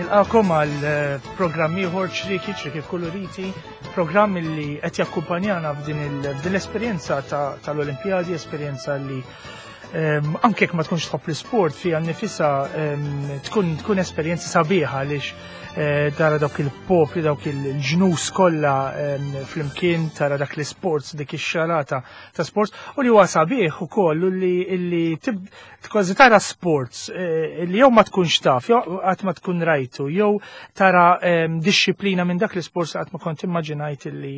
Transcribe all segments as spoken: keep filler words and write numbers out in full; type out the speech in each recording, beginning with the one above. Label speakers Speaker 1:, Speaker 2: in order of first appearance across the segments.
Speaker 1: Nilqakom għal eh, programm ieħor Ċrieki, Ċrieki Kkuluriti, programm li qed jakkumpanjana f'din l-esperjenza tal-Olimpjadi, esperjenza li ehm, anke jekk ma tkunx tħobb l-isport fiha nnifisha ehm, tkun tkun esperjenza sabiħa għaliex eh, tara dawk il-popli, dawk il-ġnus kollha ehm, flimkien, tara dak l-sports, dik ix-xalata ta' sports, u li huwa sabiħ ukoll li illi kważi tara sports eh, li jew ma tkunx taf, jew qatt ma tkun rajtu, jew tara ehm, dixxiplina minn dak l-sports qatt ma kont immaġinajt illi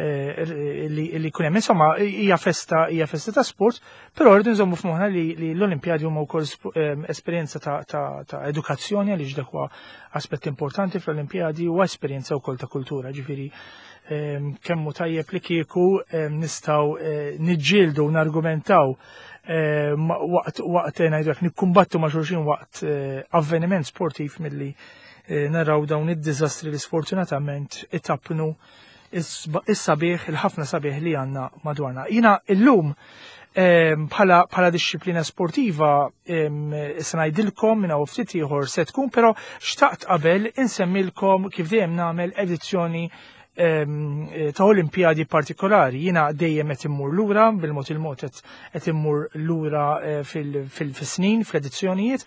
Speaker 1: eh, illi jkun hemm. Insomma, hija festa hija festa ta' sports, però rridu nżommu f'moħħna li l-Olimpjadi huma wkoll ehm, esperjenza ta' edukazzjoni, għaliex dak huwa aspett importanti fl-Olimpjadi, u esperjenza wkoll ta' kultura, ġifieri ehm, kemm hu tajjeb li kieku nistgħu eh, niġġieldu u nargumentaw Eh, waqt waqt ngħidu nikkumbattu ma' xulxin waqt eh, avveniment sportiv milli eh, naraw dawn id-diżastri li sfortunatament itappnu is-sabiħ, il-ħafna sabiħ li għandna madwarna. Jiena illum bħala bħala dixxiplina sportiva se ngħidilkom minn hawn ftit ieħor se tkun, però xtaqt qabel insemmilkom, kif dejjem nagħmel, edizzjoni ta' Olimpjadi partikolari. Jiena dejjem qed immur lura, bil-mod il-mod qed immur lura eh, fil-snin, fl-edizzjonijiet,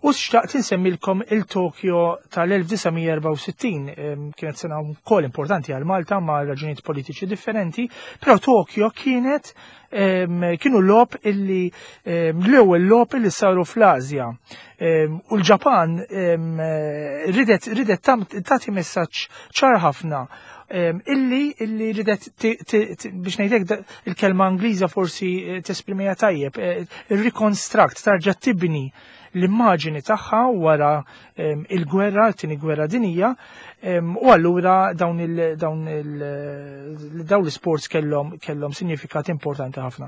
Speaker 1: u xtaqt insemmilkom il-Tokyo tal-elf disa' mija erbgħa u sittin. Kienet sena wkoll importanti għal Malta ma' raġunijiet politiċi differenti, però Tokyo kienet kienu logħob illi l-ewwel logħob illi saru fl-Asja. U l-Ġapan ridet ridet tagħti messaġġ ċar ħafna illi illi ridet, biex ngħidlek, il-kelma Ingliża forsi eh, tesprimiha tajjeb, eh, reconstruct, tarġa' tibni l-immaġini tagħha wara il-gwerra, t-tieni gwerra dinija, u allura dawn il dawn il dawn l-sports kellhom kellhom sinifikat importanti ħafna.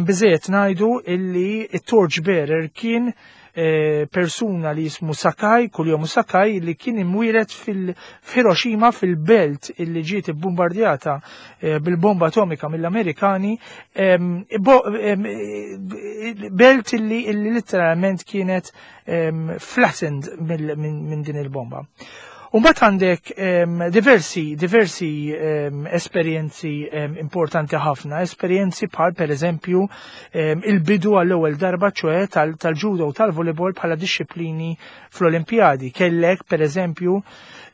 Speaker 1: Biżejjed ngħidu illi it-torch bearer kien eh, persuna li jismu Sakai, Kunio Sakai, li kien imwieled fil-Hiroshima, fil-belt illi ġiet bombardjata eh, bil-bomba atomika mill-Amerikani, belt illi, illi literalment kienet flattened minn din il-bomba. Umbat għandek um, diversi, diversi um, esperjenzi um, importanti ħafna, esperjenzi bħal, per eżempju, um, il-bidu għall-ewwel darba, ċoè tal-judo u tal-volleyball bħala dixxiplini fl-Olimpjadi. Kellek, per eżempju,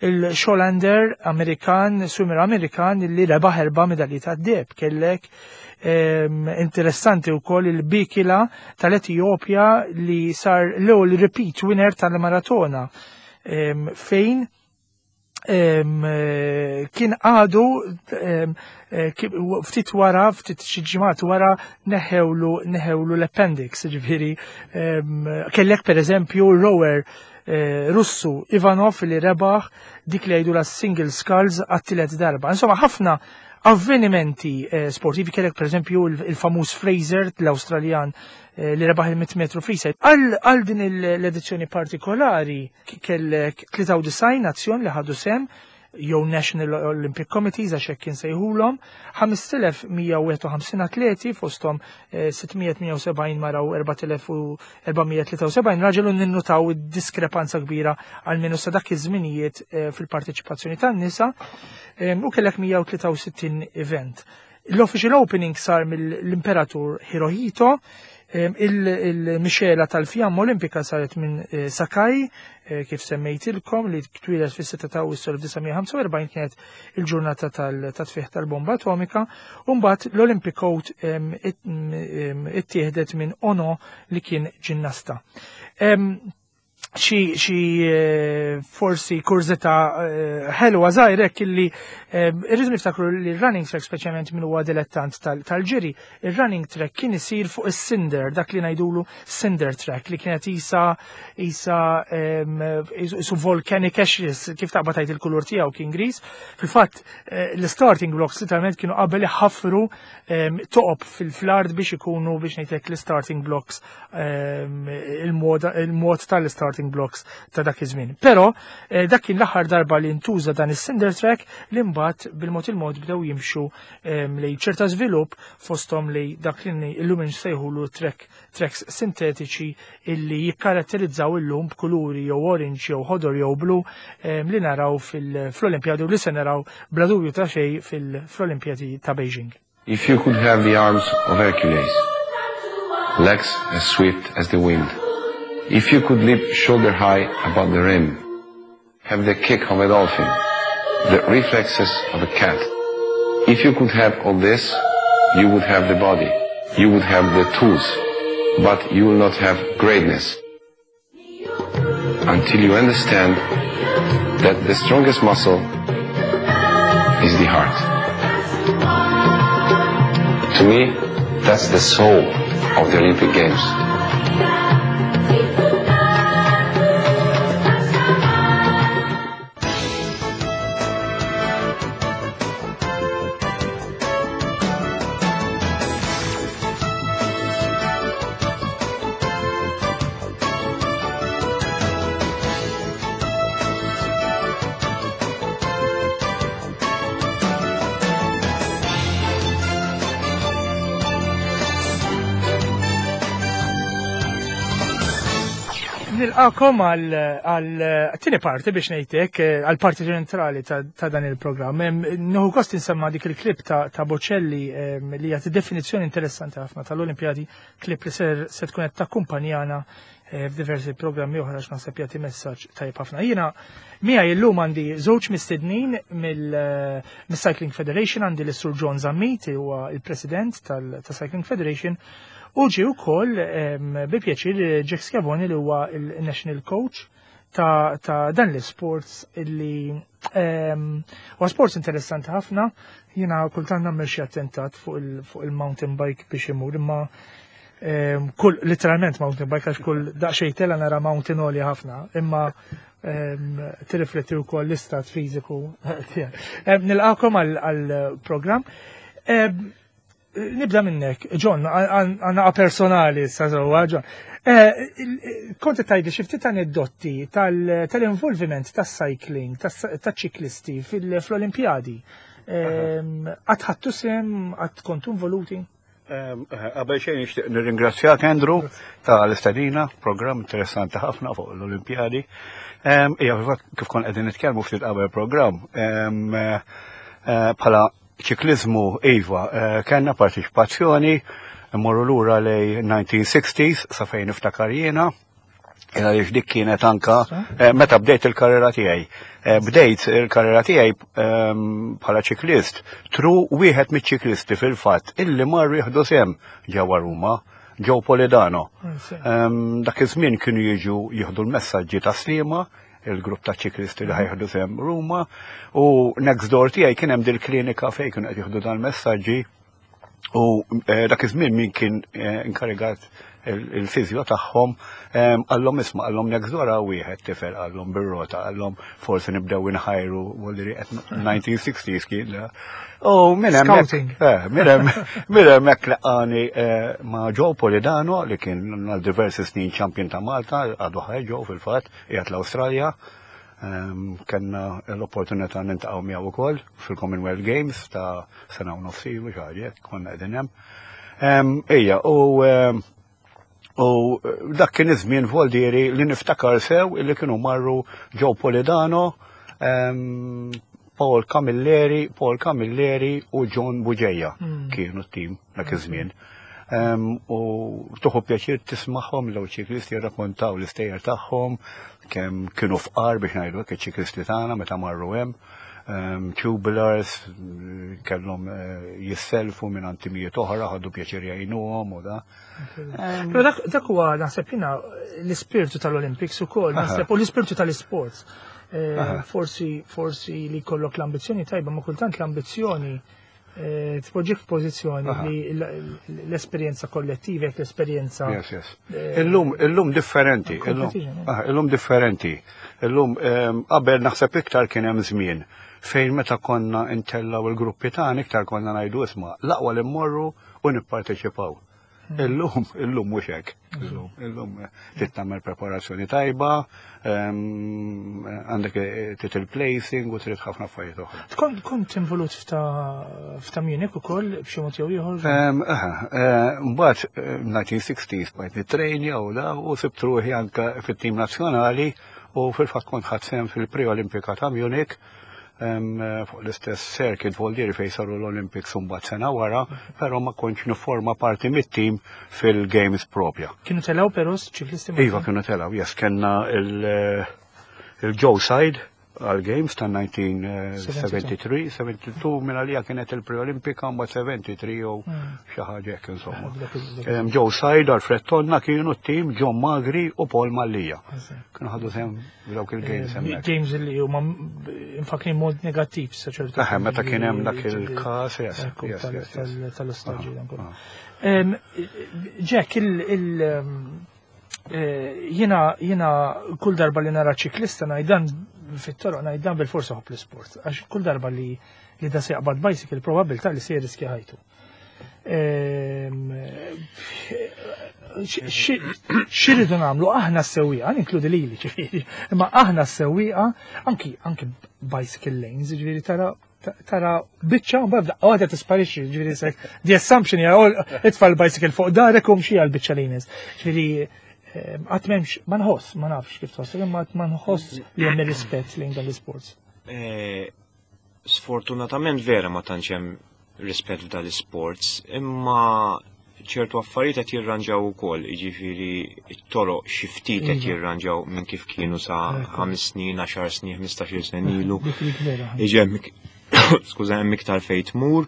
Speaker 1: il-Scholander Amerikan, swimmer Amerikan li rebaħ erba' medalji tad-deheb. Kellek um, interessanti wkoll il-Bikila tal-Etjopja li sar l-ewwel repeat winner tal-maratona um, fejn Eh, kien għadu eh, ftit wara, ftit xi ġimgħat wara neħewlu neħewlu l-appendix, ġifieri kellek, per eżempju, rower eh, Russu Ivanov li rebaħ dik li jgħidu la single sculls għat-tielet darba. Insomma, ħafna avvenimenti sportivi. Kellek, per eżempju, il-famuż Fraser, l-Australjan li rebaħ il-mitt metru freestyle. Għal din l-edizzjoni partikolari kellek tlieta u disgħin nazzjon li ħadu sehem jew National Olympic Committees, għax hekk kien sejħulhom, ħamest elef mija u wieħed u ħamsin atleti, fosthom sitt mija tmienja u sebgħin mara u erbat elef erba' mija tlieta u sebgħin raġel, u ninnutaw id-diskrepanza kbira għal sa dak iż-żminijiet eh, fil-parteċipazzjoni tan-nisa, u kellek mija u tlieta u sittin event. L-official opening sar mill-Imperatur Hirohito. Il-mixela tal-fjamma olimpika saret minn eh, Sakai, eh, kif semmejtilkom, li twieled fis-sitta ta' Awwissu elf disa' mija ħamsa u erbgħin, kienet il-ġurnata tal-tfigħ tal-bomba atomika, u mbagħad l-Olympic Oath ittieħdet minn Ono li kien ġinnasta. Xi xi eh, forsi kurżità eh, ħelwa żgħirek illi eh, irridu niftakru li running track, speċjalment min huwa dilettant tal-ġiri, il-running track kien isir fuq is-cinder, dak li ngħidulu cinder track, li kienet isa isa isu volcanic ashes, kif taqbad tgħid, il-kulur tiegħu kien gris. Fil-fatt l-starting blocks literalment kienu qabel ħafru toqob fil-art biex ikunu, biex ngħidlek, l-starting blocks, il-mod tal-starting. starting blocks ta' dak iż-żmien. Però eh, dak kien l-aħħar darba li ntuża dan is-cinder track li mbagħad bil-mod il-mod bdew jimxu lejn ċerta żvilupp fosthom li dak li illum insejħulu track tracks sintetiċi illi jikkaratterizzaw illum b'kuluri jew orange jew ħodor jew blu li naraw fil-Olimpjadi u li se naraw bla dubju ta' xejn fil-Olimpjadi ta' Beijing.
Speaker 2: If you could have the arms of Hercules, legs as swift as the wind, if you could leap shoulder high above the rim, have the kick of a dolphin, the reflexes of a cat, if you could have all this, you would have the body, you would have the tools, but you will not have greatness until you understand that the strongest muscle is the heart. To me, that's the soul of the Olympic Games.
Speaker 1: Nilqakom għal tieni parti biex ngħidlek, għal parti ċentrali ta' dan il-programm. Nieħu gost insemma dik il-klip ta' Bocelli li jagħti definizzjoni interessanti ħafna tal-Olimpjadi, klip li ser se tkun qed takkumpanjana f'diversi programmi oħra x'naħseb jagħti messaġġ tajjeb ħafna. Jiena miegħi llum għandi żewġ mistednin mill-Cycling Federation, għandi l-Sur John Zammit, huwa il-President tal-Cycling Federation, u ġi wkoll bi pjaċir Jack Schiavone li huwa il-National Coach ta', ta dan l-sports illi huwa sports interessanti ħafna. Jiena kultant nagħmel xi attentat fuq il-mountain bike biex imur, imma kull literalment mountain bike għax kull daqsxejn tela nara mountain għoli ħafna, imma tirrifletti wkoll l-istat fiżiku tiegħek. Nilqakom għall-programm. Nibda minnek, John, għanna personali sa' John. Kont tgħidli xi ftit aneddoti tal-involviment tas-cycling, tas-ċiklisti fl-Olimpjadi. Qatt ħadtu sehem, qatt kontu involuti?
Speaker 3: Qabel xejn nixtieq nirringrazzjak, Andrew, tal-istedina, programm interessanti ħafna fuq l-Olimpjadi. Ija, kif kon qegħdin nitkellmu ftit qabel programm, bħala ċiklizmu, iva, kellna partiċipazzjoni, mmorru lura lejn nineteen sixties sa fejn niftakar jiena, għaliex dik kienet anka meta bdejt il-karriera tiegħi. Bdejt il-karriera tiegħi bħala ċiklist through wieħed miċ-ċiklisti fil-fatt illi marru jieħdu sehem ġewwa Ruma, Joe Polidano. Dak iż-żmien kienu jiġu jieħdu l-messaġġi ta' Sliema, il-grupp ta' ċiklisti li ħa jieħdu sehem Ruma, u next door tiegħi kien hemm dil-klinika fejn kienu qed jieħdu dan messaġġi u dak iż-żmien min kien inkarigat il-fizjo tagħhom qallhom, "Isma'," qallhom, "next door wieħed tifel," qallhom, "bir-rota," qallhom, "forsi nibdew inħajru." Volli qed nineteen sixties kien. U minn hemmhekk minn hemm minn hemmhekk laqani ma' Joe Polidano li kien għal diversi snin champion ta' Malta, għadu ħaj Joe fil-fatt, qiegħed l-Awstralja. Kellna l-opportunità niltaqgħu miegħu ukoll fil-Commonwealth Games ta' sena u nofs ilu xi, konna qegħdin hemm. Ejja, u U dak kien iż-żmien voldieri li niftakar sew illi kienu marru Joe Polidano, Paul Camilleri, Paul Camilleri u John Bugeja kienu t-tim dak iż-żmien. U tieħu pjaċir tismagħhom l ċiklisti jirrakkontaw l-istejjer tagħhom, kemm kienu fqar biex ngħidu hekk iċ-ċiklisti tagħna meta marru hemm. Tubulars, kellhom jisselfu minn timijiet oħra, ħadu pjaċir jgħinuhom u da.
Speaker 1: Però dak huwa naħseb jiena l-ispirtu tal-Olympics ukoll, naħseb u l-ispirtu tal-isports. Forsi forsi li jkollok l-ambizzjoni tajba, ma kultant l-ambizzjoni tpoġġik f'pożizzjoni li l-esperjenza kollettiva, l-esperjenza.
Speaker 3: Yes, yes. Illum, illum differenti, illum differenti. Illum qabel naħseb iktar kien hemm żmien fejn meta konna intellaw il-gruppi tagħna iktar konna ngħidu, "Isma', l-aqwa li mmorru u nipparteċipaw." Illum, illum mhux hekk. Illum, illum trid tagħmel preparazzjoni tajba, ehm, għandek trid il-placing u trid ħafna affarijiet oħra.
Speaker 1: Kont kont involut f'ta' f'ta' Munich ukoll b'xi mod jew ieħor?
Speaker 3: Ehm, aha, eh, Mbagħad eh, nineteen sixties bqajt nittrejnja u da u sibt ruħi anke fit-tim nazzjonali u fil-fatt kont ħadt sehem fil-Pre-Olimpika ta' Munich em, eh, fuq l-istess circuit Voldieri fejn saru l-Olympics mbagħad sena wara, però ma kontx niforma parti mit-tim fil-Games propja.
Speaker 1: Kienu telgħu però ċiklisti Maltin?
Speaker 3: Iva, kienu telgħu, yes, kellna il- il-Joe Said għal-Games ta' nineteen seventy-three, seventy-two minn għalija kienet il-Pre-Olimpika, mbagħad seventy-three jew xi ħaġa hekk insomma.
Speaker 1: Dak il- dak
Speaker 3: Em, Joe Said, Alfred Tonna kienu t-tim, John Magri u Paul Mallia. Kienu ħadu sehem dawk il-Games hemmhekk.
Speaker 1: Games li huma infakni mod negattiv sa ċertu.
Speaker 3: Eħe, meta kien hemm dak il-każ, yes,
Speaker 1: Ekku,
Speaker 3: yes,
Speaker 1: tal-
Speaker 3: yes, yes.
Speaker 1: tal- tal-ostaġġi dan kollu.
Speaker 3: Aha.
Speaker 1: Em, Jack, il- il- em, eh, jiena jiena kull darba li nara ċiklista ngħid fit-toroq, ngħid dan bil-forsa ħobb l-sport, għax kull darba li li da se jaqbad bicycle, probabilità li se jirriskja ħajtu. Em, X'irridu nagħmlu aħna s-sewwieqa, ninkludi lili ġifieri, imma aħna s-sewwieqa anki anki bicycle lanes, ġifieri tara tara biċċa u mbagħad għadha tisparixxi, ġifieri sek the assumption hija all itfa' l-bicycle fuq darek u mxi għal biċċa lanes. Ġifieri qatt m'hemmx, ma nħoss, ma nafx kif tħoss, imma qatt ma nħoss li hemm rispett lejn dan l-isports.
Speaker 4: Eh, Sfortunatament vera ma tantx hemm rispett f'dan l-sports, imma ċertu affarijiet qed jirranġaw ukoll, jiġifieri t-toroq xi ftit qed
Speaker 1: Iva.
Speaker 4: jirranġaw minn kif kienu sa
Speaker 1: Ekku.
Speaker 4: ħames snin, għaxar snin, ħmistax-il sena ilu.
Speaker 1: Dik dik vera.
Speaker 4: Iġi hemm, skuża, hemm iktar fejn tmur.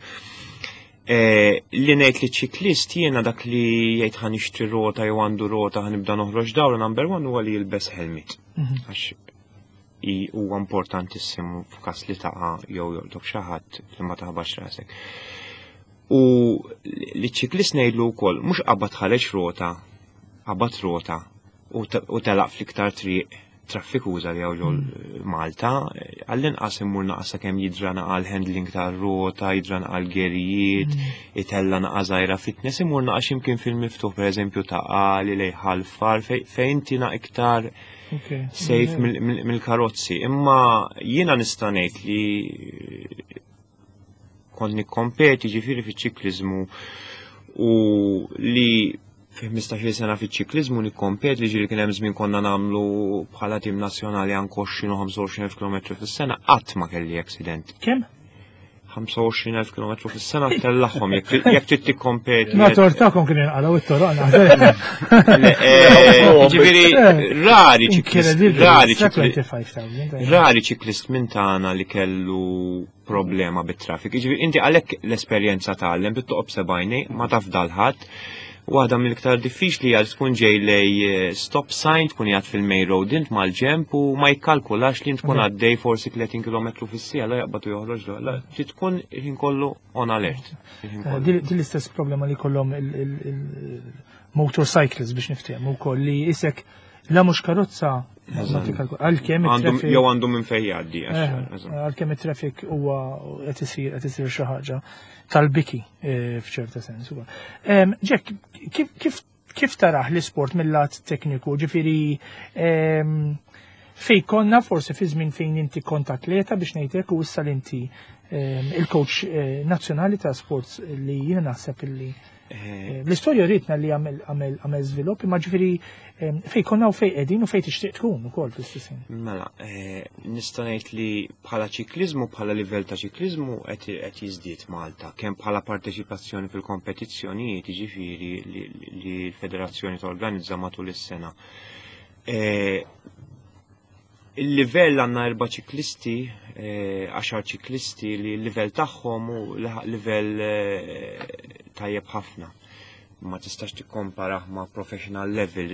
Speaker 4: Eh, li ngħid li ċiklist jiena dak li jgħid ħa nixtri rota jew għandu rota, ħa nibda noħroġ dawra, number one huwa li jilbes helmet.
Speaker 1: Mhm.
Speaker 4: Għax i- huwa importantissimu f'każ li taqa' jew joqtok xi ħadd li ma taħbax rasek. U li ċiklist ngħidlu wkoll mhux qabad ħareġ rota, qabad rota u te- u telaq fl-iktar triq traffikuża li hawn ġol Malta, għall-inqas imur naqas sakemm jidra naqa l-handling tar-rota, jidra naqa l-gerijiet, itella naqa żgħira fitness, imur naqa x'imkien fil-miftuħ, pereżempju ta' Għali lejn Ħal Far, fej- fejn inti na iktar
Speaker 1: Ok.
Speaker 4: safe mill- mill- mill-karozzi. Imma jiena nista' ngħid li kont nikkompeti ġifieri fiċ-ċikliżmu u li fi ħmistax-il sena fiċ-ċikliżmu nikkompeti li ġieli kien hemm żmien konna nagħmlu bħala tim nazzjonali anke għoxrin u ħamsa u għoxrin elf kilometru fis-sena, qatt ma kelli accident.
Speaker 1: Kemm?
Speaker 4: ħamsa u għoxrin elf kilometru fis-sena tellagħhom jekk jekk trid tikkompeti.
Speaker 1: Ma tortakom kien jinqalgħu it-toroq naħseb.
Speaker 4: Le, eh, Ġifieri rari ċiklist,
Speaker 1: Incredible.
Speaker 4: rari ċiklist
Speaker 1: twenty-five thousand.
Speaker 4: Rari ċiklist minn tagħna li kellu problema bit-traffic. Ġifieri inti għalhekk l-esperjenza tgħallem bit-toqob sebajni ma taf dalħadd. Waħda mill-iktar diffiċli għal tkun ġej lej eh, stop sign, tkun jgħad fil-main road int mal-ġemp u ma jikkalkulax li tkun għaddej forsi tletin kilometru fis-siegħa, la jaqbad u joħroġ la. Trid tkun il-ħin kollu on alert. Il-ħin kollu.
Speaker 1: Din din l-istess problema li kollhom il-motorcycles biex niftehmu wkoll li isek la mhux karozza ma tikkalkula. Għalkemm
Speaker 4: Għandhom
Speaker 1: it-traffic
Speaker 4: jew għandhom minn fejn jgħaddi. għax-
Speaker 1: Eh,
Speaker 4: eżatt.
Speaker 1: għalkemm it-traffic huwa qed isir qed isir xi ħaġa tal-biki eh, f'ċerta sens ukoll. Em, Jack, kif kif kif taraħ l-isport mill-lat tekniku, ġifieri em, fej konna forsi fi żmien fejn inti kont atleta biex ngħidlek u issa li inti em, il-coach eh, nazzjonali ta' sports li jiena naħseb illi
Speaker 4: Eh,
Speaker 1: eh, l-istorja ritna li għamel għamel għamel żvilupp, imma ġifieri em, fej konna u fej qegħdin u fej tixtieq tkun ukoll fl-istess ħin.
Speaker 4: Mela, eh, nista' ngħid li bħala ċikliżmu, bħala livell ta' ċikliżmu qed qed jiżdied Malta, kemm bħala parteċipazzjoni fil-kompetizzjonijiet, jiġifieri li, li l-federazzjoni torganizza matul is-sena. Eh, Il-livell għandna erba' ċiklisti, eh, għaxar ċiklisti li l-livell tagħhom hu laħaq livell eh, tajjeb ħafna. Ma tistax tikkomparah ma' professional level,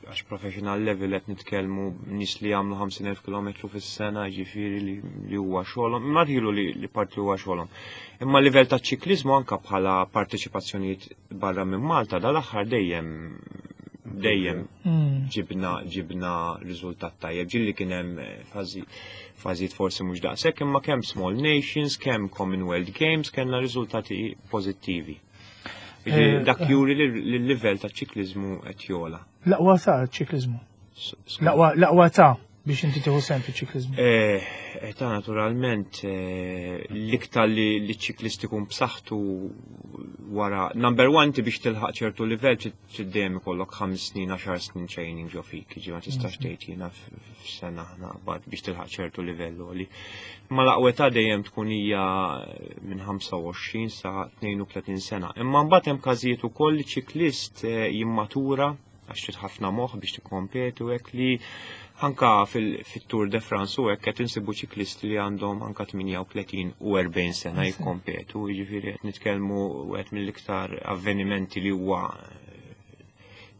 Speaker 4: għax professional level qed nitkellmu nies li jagħmlu ħamsin elf kilometru fis-sena, ġifieri li, li huwa xogħolhom, imma rħilu li, li parti huwa xogħolhom. Imma livell ta' ċikliżmu anka bħala parteċipazzjonijiet barra minn Malta dal-aħħar dejjem dejjem
Speaker 1: Mm.
Speaker 4: ġibna ġibna riżultat tajjeb. Ġilli kien hemm eh, fażi fażijiet forsi mhux daqshekk, imma kemm Small Nations, kemm Commonwealth Games kellna riżultati pożittivi. Jiġifieri
Speaker 1: Eh,
Speaker 4: dak juri li l-livell ta' ċiklizmu qed jogħla.
Speaker 1: L-aqwa ta' ċiklizmu.
Speaker 4: S- s-
Speaker 1: L-aqwa ta' biex inti tieħu sehem fiċ-ċiklizmu.
Speaker 4: Eh, ta' naturalment, eh, l-iktar li li ċiklist ikun b'saħħtu wara, number one, ti biex tilħaq ċertu livell trid dejjem ikollok ħames snin, għaxar snin training ġo fik, ġi ma tistax tgħid jiena f- f'sena naqbad biex tilħaq ċertu livell għoli. Ma l-aqwa ta' dejjem tkun hija minn ħamsa u għoxrin sa tnejn u tletin sena. Imma mbagħad hemm każijiet ukoll li ċiklist eh, jimmatura, għax trid ħafna moħħ biex tikkompetu hekk, li anka fil-Tour de France u hekk qed insibu ċiklisti li għandhom anka tmienja u tletin u erbgħin sena jikkompetu, jiġifieri qed nitkellmu wieħed mill-iktar avvenimenti li huwa eh,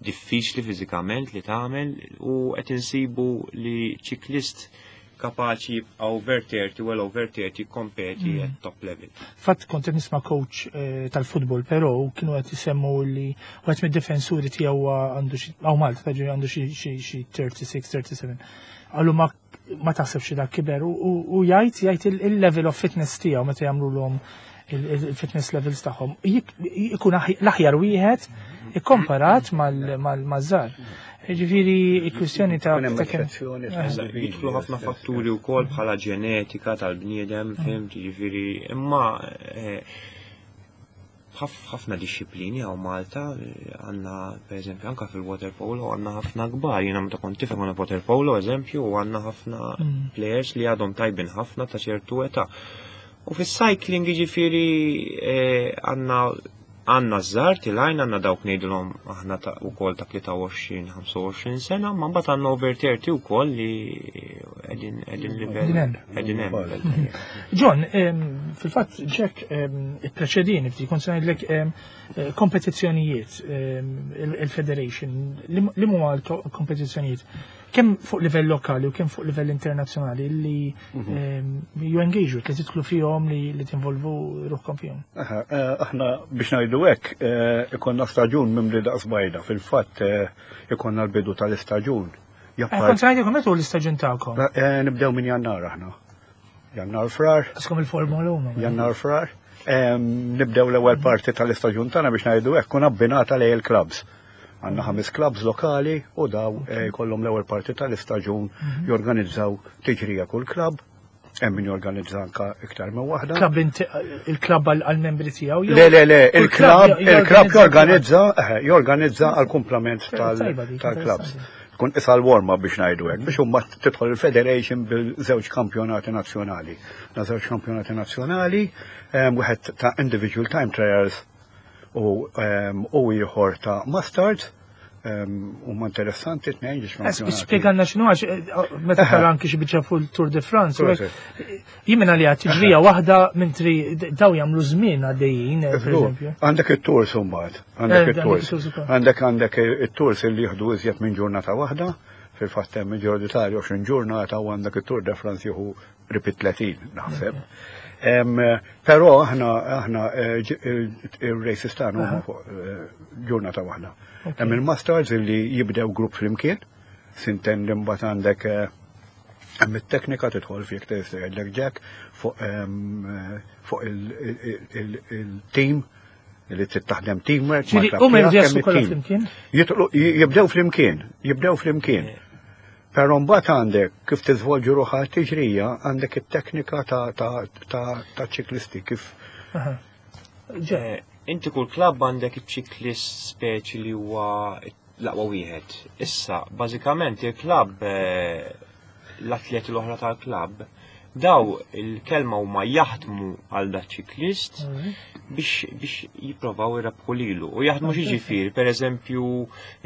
Speaker 4: diffiċli fiżikament li tagħmel u qed insibu li ċiklist kapaċi jibqa' over thirty, well over thirty, kompeti at top level.
Speaker 1: Fatt kont qed nisma' coach eh, tal-futbol, però kienu qed isemmu li wieħed mid-difensuri tiegħu huwa għandu xi hawn Malta taġi għandu xi xi xi tlieta u tletin, tlieta u sebgħin. Qallu ma ma taħsebx dak kiber u u jgħid jgħid il-level of fitness tiegħu meta jagħmluhom il-fitness levels tagħhom ikun l-aħjar wieħed ikkomparat mal-żgħar. Ġifieri il-kwistjoni ta'
Speaker 3: Kun hemm
Speaker 1: ta' kemm-
Speaker 3: eċċezzjoni
Speaker 1: Eh.
Speaker 3: ta'
Speaker 4: Jidħlu ħafna fatturi wkoll bħala ġenetika tal-bniedem, fhimt, ġifieri, imma eh, ħaf- ħafna disċiplini hawn Malta, eh, għandna per eżempju anka fil-water polo għandna ħafna kbar, jiena meta kont tifel għandna water polo eżempju u għandna ħafna
Speaker 1: Mm.
Speaker 4: players li għadhom tajbin ħafna ta' ċertu età. U fis-cycling ġifieri eh, għandna għandna żgħar tilgħin, għandna dawk ngħidulhom aħna ta' ukoll ta' tlieta u għoxrin, ħamsa u għoxrin sena, ma mbagħad għandna over thirty wkoll li qegħdin qegħdin livell
Speaker 1: Qegħdin hemm.
Speaker 4: qegħdin hemm.
Speaker 1: John, em, fil-fatt Jack em, ippreċedini ftit, kont se ngħidlek em, eh, kompetizzjonijiet, em, il- il-Federation, li li huma l-kompetizzjonijiet kemm fuq livell lokali u kemm fuq livell internazzjonali li em, you engage with, li tidħlu fihom, li li tinvolvu ruħkom fihom.
Speaker 3: Aha, eh, Aħna biex ngħidu hekk, eh, ikonna staġun mimli daqs bajda. Fil-fatt eh, ikonna l-bidu tal-istaġun.
Speaker 1: Eh,
Speaker 3: Jappar-
Speaker 1: Kont se ngħidilkom meta hu l-istaġun tagħkom.
Speaker 3: Eh, Nibdew minn Jannar aħna. Jannar Frar,
Speaker 1: Qiskom il-Formula uno.
Speaker 3: Jannar Frar. Em, Nibdew l-ewwel parti tal-istaġun tagħna biex ngħidu hekk kun abbinata lejn il-clubs. Għandna ħames clubs lokali u daw eh, jkollhom l-ewwel parti tal-istaġun jorganizzaw tiġrija kull club, hemm min jorganizza anka iktar minn waħda.
Speaker 1: Club inti- il-club għal-membri tiegħu. jew-
Speaker 3: Le, le, le,
Speaker 1: kull
Speaker 3: il-club,
Speaker 1: club
Speaker 3: il-club jorganizza, eh, jorganizza għal-kumplament tal-
Speaker 1: Tajba dik,
Speaker 3: tal-clubs.
Speaker 1: interessanti.
Speaker 3: Tkun isa l-warm-up biex ngħidu hekk, biex huma tidħol il-Federation bil-żewġ kampjonati nazzjonali. Na żewġ kampjonati nazzjonali, em, wieħed ta' individual time trials u em, u ieħor ta' masters, huma interessanti tnejn ġiex kampjonati.
Speaker 1: Spjegalna x'inhu, għax eh, meta tara anki xi biċċa fuq il-Tour de France. u
Speaker 3: Proset.
Speaker 1: hekk, jien minn għalija tiġrija waħda mentri daw jagħmlu żmien għaddejjin, eh, per eżempju.
Speaker 3: Għandek it-tours mbagħad, għandek
Speaker 1: Eh,
Speaker 3: it-tours.
Speaker 1: għandek it-tours ukoll.
Speaker 3: Għandek għandek it-tours li jieħdu iżjed minn ġurnata waħda, fil-fatt hemm il-Giro d'Italia għoxrin ġurnata u għandek it-Tour de France jieħu qrib tletin naħseb. Em, Però aħna aħna eh, ġi- il- il-races tagħna huma fuq eh, ġurnata waħda. Hemm il-masters li jibdew grupp flimkien, s'intendi mbagħad għandek eh, hemm it-teknika tidħol fik tista' jgħidlek Jack fuq em, eh, fuq il-team li trid taħdem teamwork.
Speaker 1: Ġifieri,
Speaker 3: mal-klabb
Speaker 1: huma jridu
Speaker 3: tiegħek,
Speaker 1: jaslu
Speaker 3: hemm
Speaker 1: kollha
Speaker 3: it-team.
Speaker 1: flimkien?
Speaker 3: Jitlu- Jibdew flimkien, jibdew flimkien. Però mbagħad għandek kif tiżvolġu ruħha t-tiġrija, għandek it-teknika ta' ta' ta' ta' ċiklisti kif
Speaker 1: Aha. Ġe,
Speaker 4: Eh, Inti kull klabb għandek iċ-ċiklist speċi li huwa l-aqwa wieħed. Issa, bażikament il-klabb, eh, l-atleti l-oħra tal-klabb, daw il-kelma huma jaħdmu għal da ċiklist biex biex jipprovaw irabħu lilu. U jaħdmu xi ġifieri, per eżempju,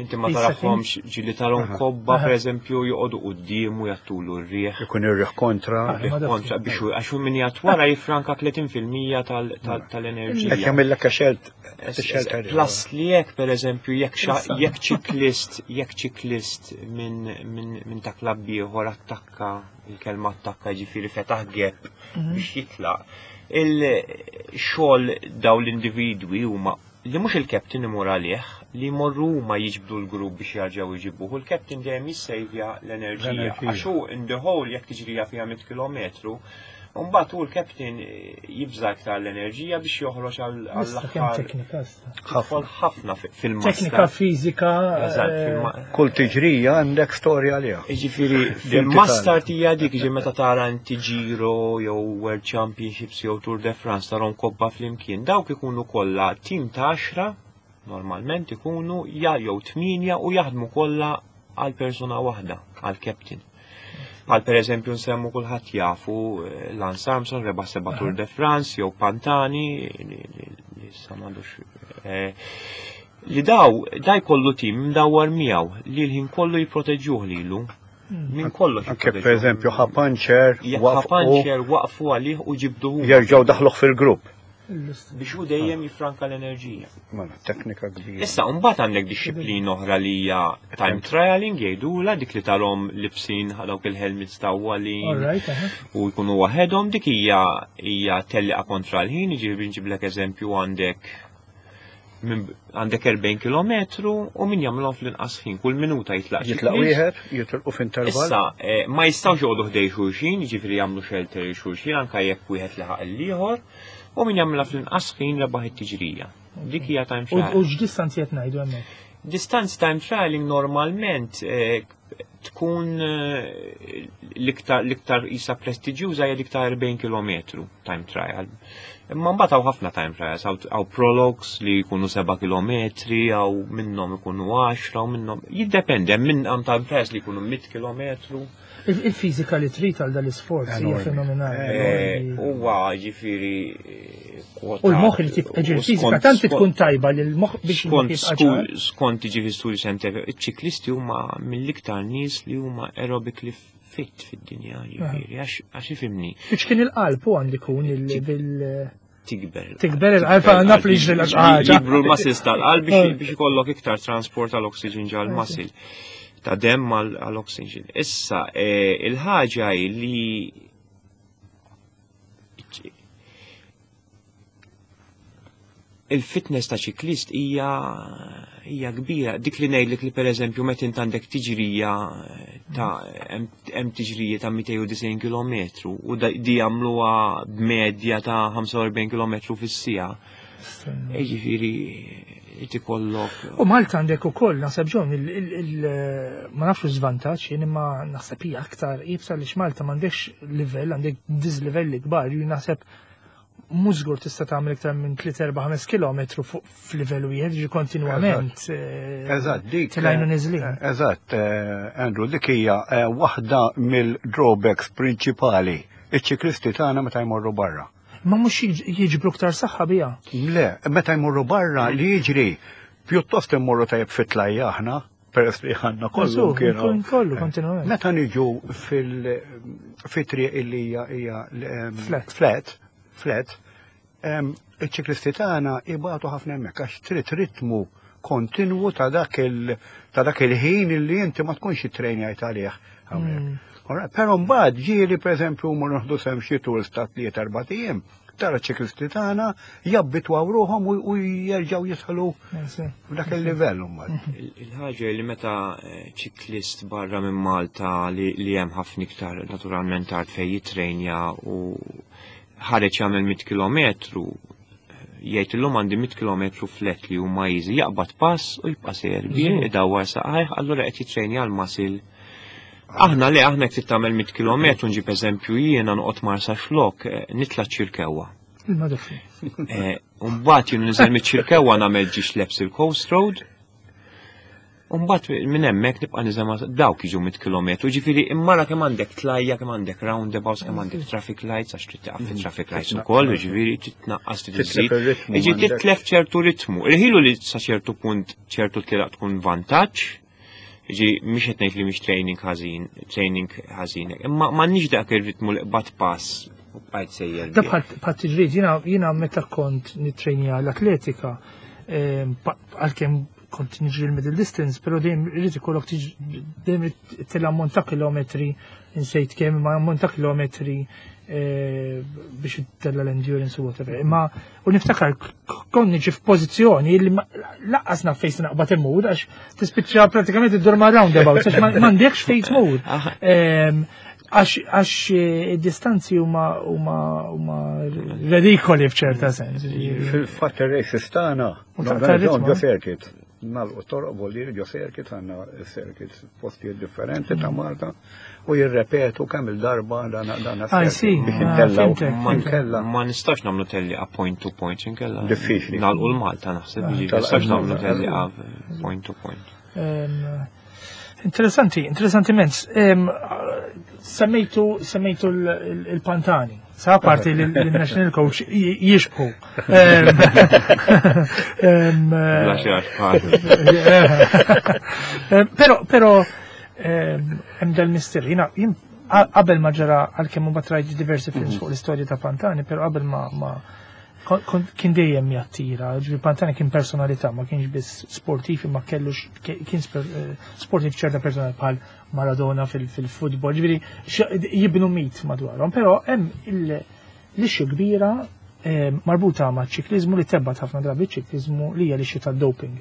Speaker 4: inti ma
Speaker 1: Issa
Speaker 4: tarahomx ġili tarhom kobba, per eżempju, joqogħdu quddiemu jagħtulu r-riħ.
Speaker 3: Ikun ir-riħ kontra.
Speaker 1: Ah, ma daf-
Speaker 4: Kontra biex hu- għax hu min jgħat wara jifranka tletin fil-mija tal- tal- tal-enerġija.
Speaker 3: Qed jagħmillek xelt
Speaker 4: Es- Plus li jekk per eżempju jekk xa- jekk ċiklist jekk ċiklist minn min, min ta' klabb ieħor attakka, il-kelma attakka ġifieri fetaħ gap biex jitlaq. Il-xogħol daw l-individwi huma li mhux il-captain imur għalih, li jmorru huma jiġbdu l-grupp biex jarġgħu jġibuh, u l-captain dejjem jissejvja l-enerġija.
Speaker 3: L-enerġija.
Speaker 4: Għax hu in the whole jekk tiġrija fiha mitt kilometru, Mbagħad hu l-captain jibża iktar l-enerġija biex joħroġ għall-aħħar.
Speaker 1: Teknika.
Speaker 4: Ħafna ħafna fil-master.
Speaker 1: Teknika fiżika.
Speaker 4: Eh,
Speaker 3: Kull tiġrija għandek storja għaliha.
Speaker 4: Jiġifieri fil-mass start hija dik ġi meta tara inti Giro jew World Championships jew Tour de France tarhom kobba flimkien. Dawk ikunu kollha tim ta' għaxra normalment ikunu ja jew tmienja u jaħdmu kollha għal persuna waħda, għal captain. Għal per eżempju nsemmu kulħadd jafu eh, Lance Armstrong rebaħ seba' Tour de France jew Pantani li issa m'għandux eh, li daw da jkollu tim mdawwar miegħu li l-ħin kollu jipproteġuh lilu.
Speaker 1: Hmm.
Speaker 4: Min kollox.
Speaker 3: Anke per eżempju ħa panċer,
Speaker 4: waqfu waqfu għalih u ġibduhu.
Speaker 3: Jerġgħu daħluh fil-grupp.
Speaker 4: Biex hu dejjem jifranka l-enerġija.
Speaker 3: Mela, teknika kbira.
Speaker 4: Issa, mbagħad għandek dixxiplina oħra li hija time trialing jgħidula dik li tarhom libsin dawk il-helmets tawwalin u jkunu waħedhom dik hija hija telliqa kontra l-ħin, jiġifieri nġiblek eżempju għandek għandek erbgħin kilometru u min jagħmilhom fl-inqas ħin, kull minuta jitlaq
Speaker 3: Jitlaq wieħed, jitilqu f'intervall.
Speaker 4: Issa, eh, ma jistgħux joqogħdu ħdej xulxin, jiġifieri jagħmlu shelter xulxin anke jekk wieħed laħaq l-ieħor, u min jagħmilha fl-inqas ħin rebaħ it-tiġrija. Dik hija time trial.
Speaker 1: U x'distanzi qed ngħidu hemmhekk?
Speaker 4: Distanzi time trialing normalment eh, tkun eh, l-iktar l-iktar isa prestiġjuża hija dik ta' erbgħin kilometru time trial. Imma mbagħad hawn ħafna time trials, hawn prologues li jkunu seba' kilometri, hawn minnhom ikunu għaxra, u minnhom jiddependi, hemm minn hemm time trials li jkunu mitt kilometru.
Speaker 1: Il-fiżika li trid għal dal-isforz hija fenomenali.
Speaker 4: Huwa ġifieri
Speaker 1: U l-moħħ li tibqa' ġifieri fiżika tant tkun tajba li l-moħħ biex
Speaker 4: skont skont jiġifieri studi xjentifiċi, iċ-ċiklisti huma mill-iktar nies li huma aerobically fit fid-dinja, ġifieri, għax ifimni.
Speaker 1: Biex kien il-qalb u għandi kun bil
Speaker 4: Tikber.
Speaker 1: Tikber il-qalb, naf li ġri l-ħaġa.
Speaker 4: Jikbru l-muscles tal-qalb biex ikollok iktar transport tal-oxygen ġal-muscle. Ta' dem għal-oxygen. Issa, il-ħaġa li il-fitness ta' ċiklist hija hija kbira. Dik li ngħidlek li pereżempju meta int għandek tiġrija ta' hemm tiġrija ta' mitejn u disgħin kilometru u di jagħmluha b'medja ta' ħamsa u erbgħin kilometru fis-siegħa. Jiġifieri ikollok.
Speaker 1: U Malta għandek ukoll naħseb ġon ma nafx żvantaġġ jien imma naħseb hija aktar iebsa għaliex Malta m'għandekx livell, għandek dislivelli kbar, jien naħseb mhux żgur tista' tagħmel iktar minn tliet erba' ħames kilometru fuq f'livell wieħed, jiġi kontinwament.
Speaker 3: Eżatt, dik.
Speaker 1: Tilajnu niżlin.
Speaker 3: Eżatt, Andrew, dik hija waħda mill-drawbacks prinċipali iċ-ċiklisti tagħna meta jmorru barra.
Speaker 1: Ma mhux jiġbru aktar saħħa biha.
Speaker 3: Le, meta jmorru barra li jiġri pjuttost immorru tajjeb fit-tlajja aħna, peress li ħanna kollu kienu.
Speaker 1: Kollu, kontinwament.
Speaker 3: Meta niġu fil-triq illi hija flat, flat, iċ-ċiklisti tagħna ibatu ħafna hemmhekk għax trid ritmu kontinwu ta' dak il-ħin illi inti ma tkunx ittrejnjajt għalih hawnhekk. Però mbagħad ġieli pereżempju huma noħdu sem xi tours ta' tliet erba' ijiem, tara ċiklisti tagħna jabbitwaw ruħhom u jerġgħu jidħlu f'dak il-livell mbagħad.
Speaker 4: Il-ħaġa li meta ċiklist barra minn Malta li hemm ħafna iktar naturalment art fejn jitrejnja u ħareġ jagħmel mitt kilometru, jgħid illum għandi mitt kilometru flet li huma easy, jaqbad pass u jibqa' sejjer bih, idawwar saqajh, allura qed jitrejnja l-muscle. Aħna le, aħna jekk trid tagħmel mitt kilometru, nġib eżempju jiena noqgħod Marsa Xlok, nitla' ċirkewwa.
Speaker 1: Il-madoffi.
Speaker 4: U mbagħad jien niżel miċ-ċirkewwa nagħmel ġiex lebs il-Coast Road. U mbagħad minn hemmhekk nibqa' niżel ma' dawk jiġu mitt kilometru, ġifieri immara kemm għandek tlajja, kemm għandek roundabouts, kemm għandek traffic lights, għax trid taqaf fit-traffic lights ukoll, ġifieri trid tnaqqas trid iżżid. Jiġi titlef ċertu ritmu. Irħilu li sa ċertu punt ċertu tlielaq tkun vantaġġ. Ġi, mhix qed ngħid li mhix training ħażin, training ħażin, imma m'għandniex dak ir-ritmu li qbad pass u bqajt sejjer.
Speaker 1: Da bħal tiġrid, jiena jiena meta kont nittrejnja l-atletika, għalkemm kont niġri l-middle distance, però dejjem irid ikollok dejjem tela ammont ta' kilometri, insejt kemm, imma ammont ta' kilometri biex tella l-endurance u whatever. Imma u niftakar kont niġi f'pożizzjoni li laqqas naf fejn naqbad immur għax tispiċċa pratikament iddur ma' roundabout, għax m'għandekx fejn tmur. Għax għax eh, id-distanzi huma huma huma redikoli f'ċerta sens. ġifieri.
Speaker 3: Fil-fatt ir-races tagħna
Speaker 1: U ta'
Speaker 3: norganizzaw
Speaker 1: ritmu,
Speaker 3: ġo circuit. Nagħlqu toroq volli ġo circuit, għandna circuits postijiet differenti ta' Malta u jirrepetu kemm il-darba dan dan
Speaker 1: I see.
Speaker 3: biex
Speaker 1: Ah,
Speaker 3: intellaw.
Speaker 1: fhimtek.
Speaker 4: Ma,
Speaker 3: Inkella.
Speaker 4: ma nistax nagħmlu tellieqa point to point, inkella.
Speaker 3: Diffiċli.
Speaker 4: Nagħlqu l-Malta naħseb, ġifieri,
Speaker 3: tal-
Speaker 4: nistax nagħmlu
Speaker 3: Malta.
Speaker 4: tellieqa point to point.
Speaker 1: Em, Interessanti, interessanti immens. Em, Semmejtu, semmejtu l- il- il-Pantani. Sa parti li l-national coach j- jixbħu. Em, em,
Speaker 4: Bla xi għax bħal.
Speaker 1: Em, Pero, pero, em, hemm dal-mister, jiena, jien qa- qabel ma ġara għalkemm mbagħad rajt diversi films fuq l-istorja ta' Pantani, pero qabel ma ma kon- kon- kien dejjem jattira, ġifieri Pantani kien personalità, ma kienx biss sportiv, ma kellux kien sper- eh, sportiv ċerta personalità bħal Maradona fil- fil-futbol, ġifieri x- jibnu mit madwarhom, però hemm il- l-issue kbira eh, marbuta ma' ċiklizmu li tebbat ħafna drabi ċiklizmu li hija l-issue tad-doping.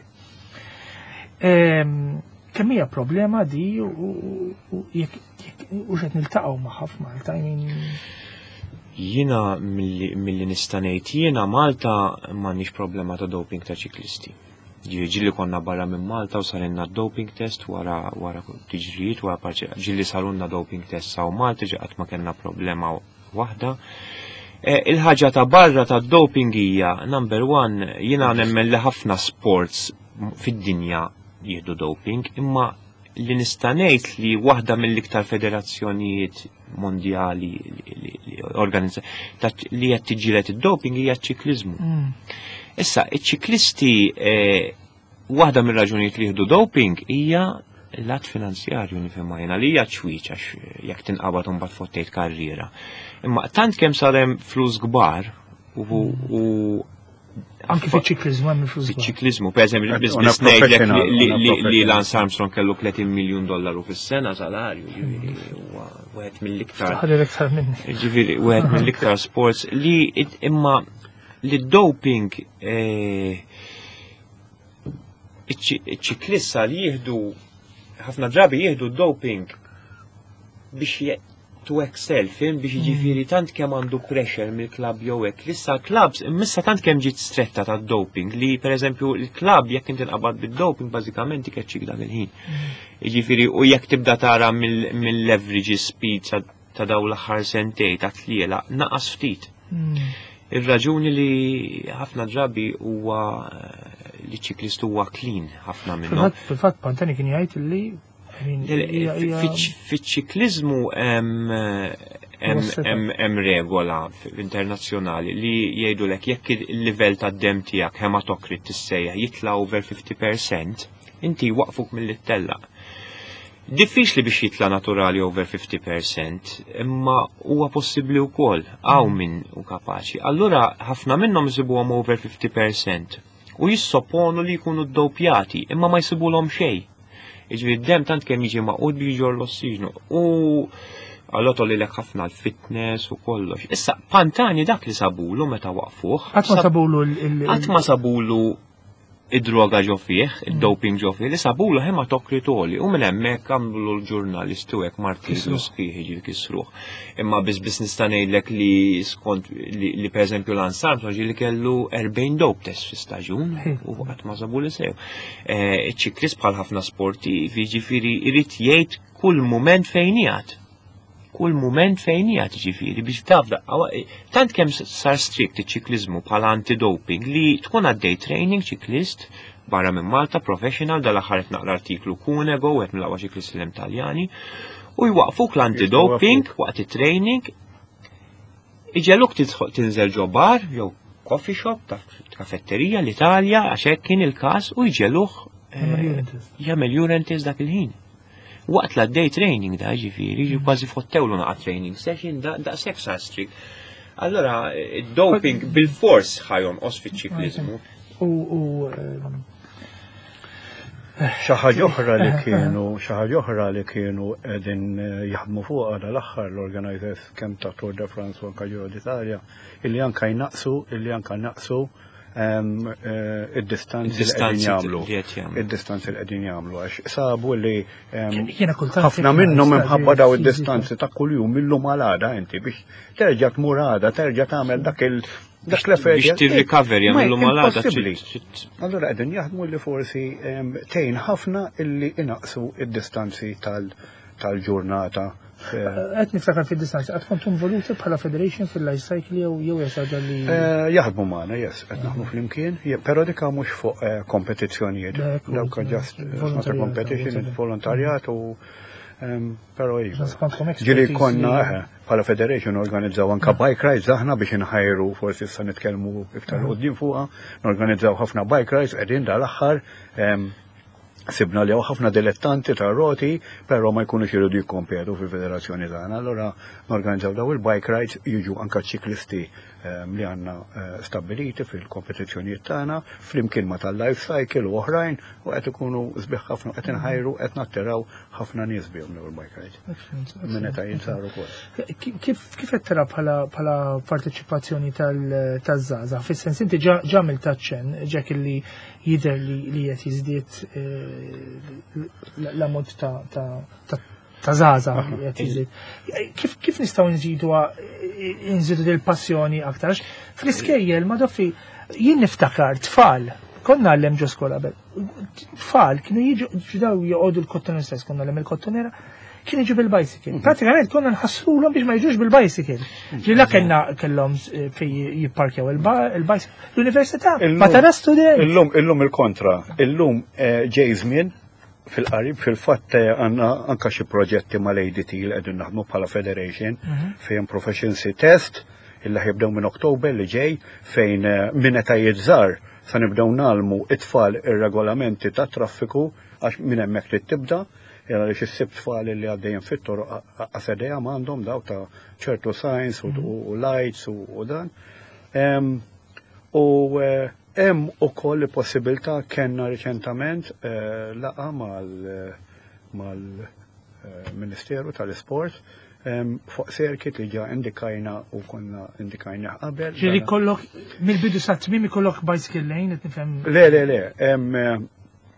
Speaker 1: Em, Kemm hija problema di u- u u jekk jekk- u x'qed niltaqgħu magħha f'Malta, I mean,
Speaker 4: Jiena milli milli nista' ngħid jiena Malta m'għandniex problema ta' doping ta' ċiklisti. Ġieli ġieli konna barra minn Malta u sarinna doping test wara wara tiġrijiet wara parċi ġieli sarunna doping test saw Malta ġi qatt ma kellna problema waħda. Eh, Il-ħaġa ta' barra ta' doping hija number one jiena nemmen li ħafna sports fid-dinja jieħdu doping, imma li nista' ngħid li waħda mill-iktar federazzjonijiet mondjali li, li, li organizza ta' li qed tiġġieled id-doping hija ċ-ċiklizmu.
Speaker 1: mm,
Speaker 4: Issa, iċ-ċiklisti eh, waħda mir-raġunijiet li jieħdu doping hija l-lat finanzjarju nifhimha jiena li hija ċwiċ għax jekk tinqabad imbagħad fottejt karriera. Imma tant kemm sar hemm flus kbar u, u
Speaker 1: anki fiċ-ċiklizmu hemm il-flus kbar.
Speaker 4: Fiċ-ċiklizmu, per eżempju,
Speaker 3: Qed
Speaker 4: biss
Speaker 3: una
Speaker 4: biss ngħidlek
Speaker 3: professional,
Speaker 4: li-
Speaker 3: una
Speaker 4: li- li
Speaker 3: professional.
Speaker 4: Lance Armstrong kellu tletin miljun dollaru fis-sena salarju, ġifieri huwa wieħed mill-iktar
Speaker 1: Ħalli iktar minni.
Speaker 4: ġifieri wieħed mill-iktar sports li it- imma li doping eh, iċ-ċiklista li jieħdu ħafna drabi jieħdu doping biex je- to excel, fhimt, biex jiġifieri tant kemm għandu pressure mill-klab jew hekk. Issa clubs, imissa tant kemm ġiet stretta ta' doping li per eżempju il-klab jekk inti nqabad bid-doping bażikament ikeċċik dak il-ħin. Jiġifieri u jekk tibda tara mill-average speed sa- ta' daw l-aħħar sentej ta' tliela naqas ftit.
Speaker 1: Mm.
Speaker 4: Ir-raġuni li ħafna drabi huwa eh, li ċiklist huwa clean ħafna minnhom.
Speaker 1: Fil-fatt fil-fatt Pantani kien jgħid li I mean, hija- hija-
Speaker 4: Fiċ-ċiklizmu hemm hemm-
Speaker 1: Huwa setup.
Speaker 4: hemm hemm regola f- internazzjonali li jgħidulek jekk il-livell tad-dem tiegħek hematokrit tissejjaħ jitla over fifty percent, inti waqfuk milli ttellaq. Diffiċli biex jitla naturali over fifty percent, imma huwa possibbli wkoll hawn min hu kapaċi. Allura ħafna minnhom isibuhom over fifty percent u jissopponu li jkunu ddopjati, imma ma jsibulhom xejn. Iġifieri d-dem tant kemm jiġi magħqud biex jġorr l-ossiġnu. U allora tolli lek ħafna l-fitness u kollox. Issa, Pantani dak li sabulu meta waqfuh.
Speaker 1: Qatt ma
Speaker 4: sab-
Speaker 1: sabulu l-
Speaker 4: Qatt ma sabulu id-droga ġo fih, id-doping ġo fih, li sabulu hematokrit għoli. U minn hemmhekk għamlu l-ġurnalisti u hekk martirju
Speaker 1: Kisruh.
Speaker 4: sħiħ jiġi kisruh. Imma biss biss nista' ngħidlek li skont li, li pereżempju Lance Armstrong ġieli kellu erbgħin dope test fi staġun u qatt ma sabu li sew. Eh, Iċ-ċiklist bħal ħafna sportivi ġifieri irid jgħid kull mument fejn qiegħed kull moment fejn qiegħed ġifieri biex taf daqqa tant kemm sar strict iċ-ċiklizmu bħala anti-doping li tkun għaddej training ċiklist barra minn Malta professional, dal-aħħar qed naqra artiklu Cunego, wieħed mill-aqwa ċiklisti l Taljani, u jwaqfuk l-anti-doping waqt it-training, iġegħluk tidħol tinżel ġo bar jew coffee shop ta' kafetterija l-Italja, għax hekk kien il-każ, u jġegħluh
Speaker 1: Jagħmel urine test.
Speaker 4: Jagħmel urine test dak il-ħin. Waqt la day training da ġifieri, ġi kważi fottewlu naqa training session da daqshekk sar strict. Allora, id-doping bil-fors ħa jonqos fiċ-ċiklizmu.
Speaker 1: U u ehm,
Speaker 3: Xi ħaġa oħra li kienu, xi ħaġa oħra li kienu qegħdin eh, jaħdmu fuqha dal-aħħar l-organizers kemm ta' Tour de France u anka Giro d'Italia, illi anka jnaqsu, illi anka naqsu em, eh, id-distanzi li qegħdin jagħmlu.
Speaker 4: li qed jagħmlu.
Speaker 3: Id-distanzi li qegħdin jagħmlu għax sabu li em,
Speaker 1: Jiena kultant
Speaker 3: ħafna
Speaker 1: jekk
Speaker 3: minnhom
Speaker 1: nista'
Speaker 3: imħabba daw
Speaker 1: fiżika.
Speaker 3: id-distanzi ta' kuljum illum għal għada inti biex terġa' tmur għada, terġa' tagħmel dak il dak l-effort.
Speaker 4: Biex tirrikaver
Speaker 3: Ma
Speaker 4: jagħmlu mal-għada.
Speaker 3: impossibbli.
Speaker 4: trid- trid-
Speaker 3: Allora qegħdin jaħdmu li forsi em, tgħin ħafna illi inaqsu id-distanzi tal- tal-ġurnata. Eh,
Speaker 1: Qed niftakar fid-distanzi, qatt kontu involuti bħala federation fil-life cycle jew jew hija xi ħaġa li
Speaker 3: Eh, Jaħdmu magħna, yes, qed naħdmu flimkien, je- però dika mhux fuq eh, kompetizzjonijiet.
Speaker 1: Dak,
Speaker 3: Dawk just it's not a
Speaker 1: volontarjat,
Speaker 3: competition,
Speaker 1: whatever.
Speaker 3: volontarjat u em, però iva.
Speaker 1: Kontkom
Speaker 3: Ġili
Speaker 1: expertise
Speaker 3: konna
Speaker 1: li-
Speaker 3: eh, bħala federation organizzaw anka bike rides aħna biex inħajru forsi issa nitkellmu iktar quddiem fuqha, norganizzaw ħafna bike rides qegħdin dal-aħħar em, sibna li hawn ħafna dilettanti ta' roti, però ma jkunux iridu jikkompetu fil-federazzjoni tagħna. Allora norganizzaw daw il-bike rides jiġu anka ċiklisti em, li għandna eh, stabiliti fil-kompetizzjonijiet tagħna, flimkien ma tal-life cycle u oħrajn u qed ikunu sbieħ ħafna qed inħajru qed nattiraw ħafna nies bihom daw il-bike rides.
Speaker 1: Excellent,
Speaker 3: Minn
Speaker 1: excellent.
Speaker 3: meta jinsaru wkoll.
Speaker 1: Kif kif qed tara bħala bħala parteċipazzjoni tal- taż-żgħażagħ? Fis-sens inti ġa għamilt taċċen ġek li jidher li li qed jiżdied eh, l-ammont ta' ta' ta' ta' żgħażagħ li qed jiżdied. Kif kif nistgħu nżidu nżidu dil-passjoni aktar? Għax Fl-iskejjel ma doffi jien niftakar tfal konna għallem ġo skola qabel. Tfal kienu jiġu ġdaw joqogħdu l-kottonera stess, konna għallem il-kottonera, kienu jiġu bil-bicycle. Pratikament konna nħassrulhom biex ma jiġux bil-bicycle. Ġi la kellna kellhom eh, fej jipparkjaw il-bicycle. L-università, ma tara student.
Speaker 3: Illum, illum il-kontra. Illum eh, ġej żmien fil-qarib, fil-fatt eh, għandna anka xi proġetti mal-ADT li qegħdin naħdmu bħala Federation fejn proficiency test illi ħa jibdew minn Oktober li ġej fejn eh, minn etajiet żgħar sa nibdew ngħallmu it-tfal ir-regolamenti ta' traffiku għax minn hemmhekk trid tibda jara li xissib tfal li għaddejjem fit-toroq għasedeja m'għandhom daw ta' ċertu signs u, u lights u, u dan. Em, U eh, hemm ukoll possibilità kellna riċentament eh, laqgħa mal mal-Ministeru tal-Isport em, fuq circuit li ġa indikajna u konna indikajna qabel.
Speaker 1: Ġieli kollok, mill-bidu sa tmiem ikollok bicycle lane, qed nifhem
Speaker 3: Le, le, le, em, eh,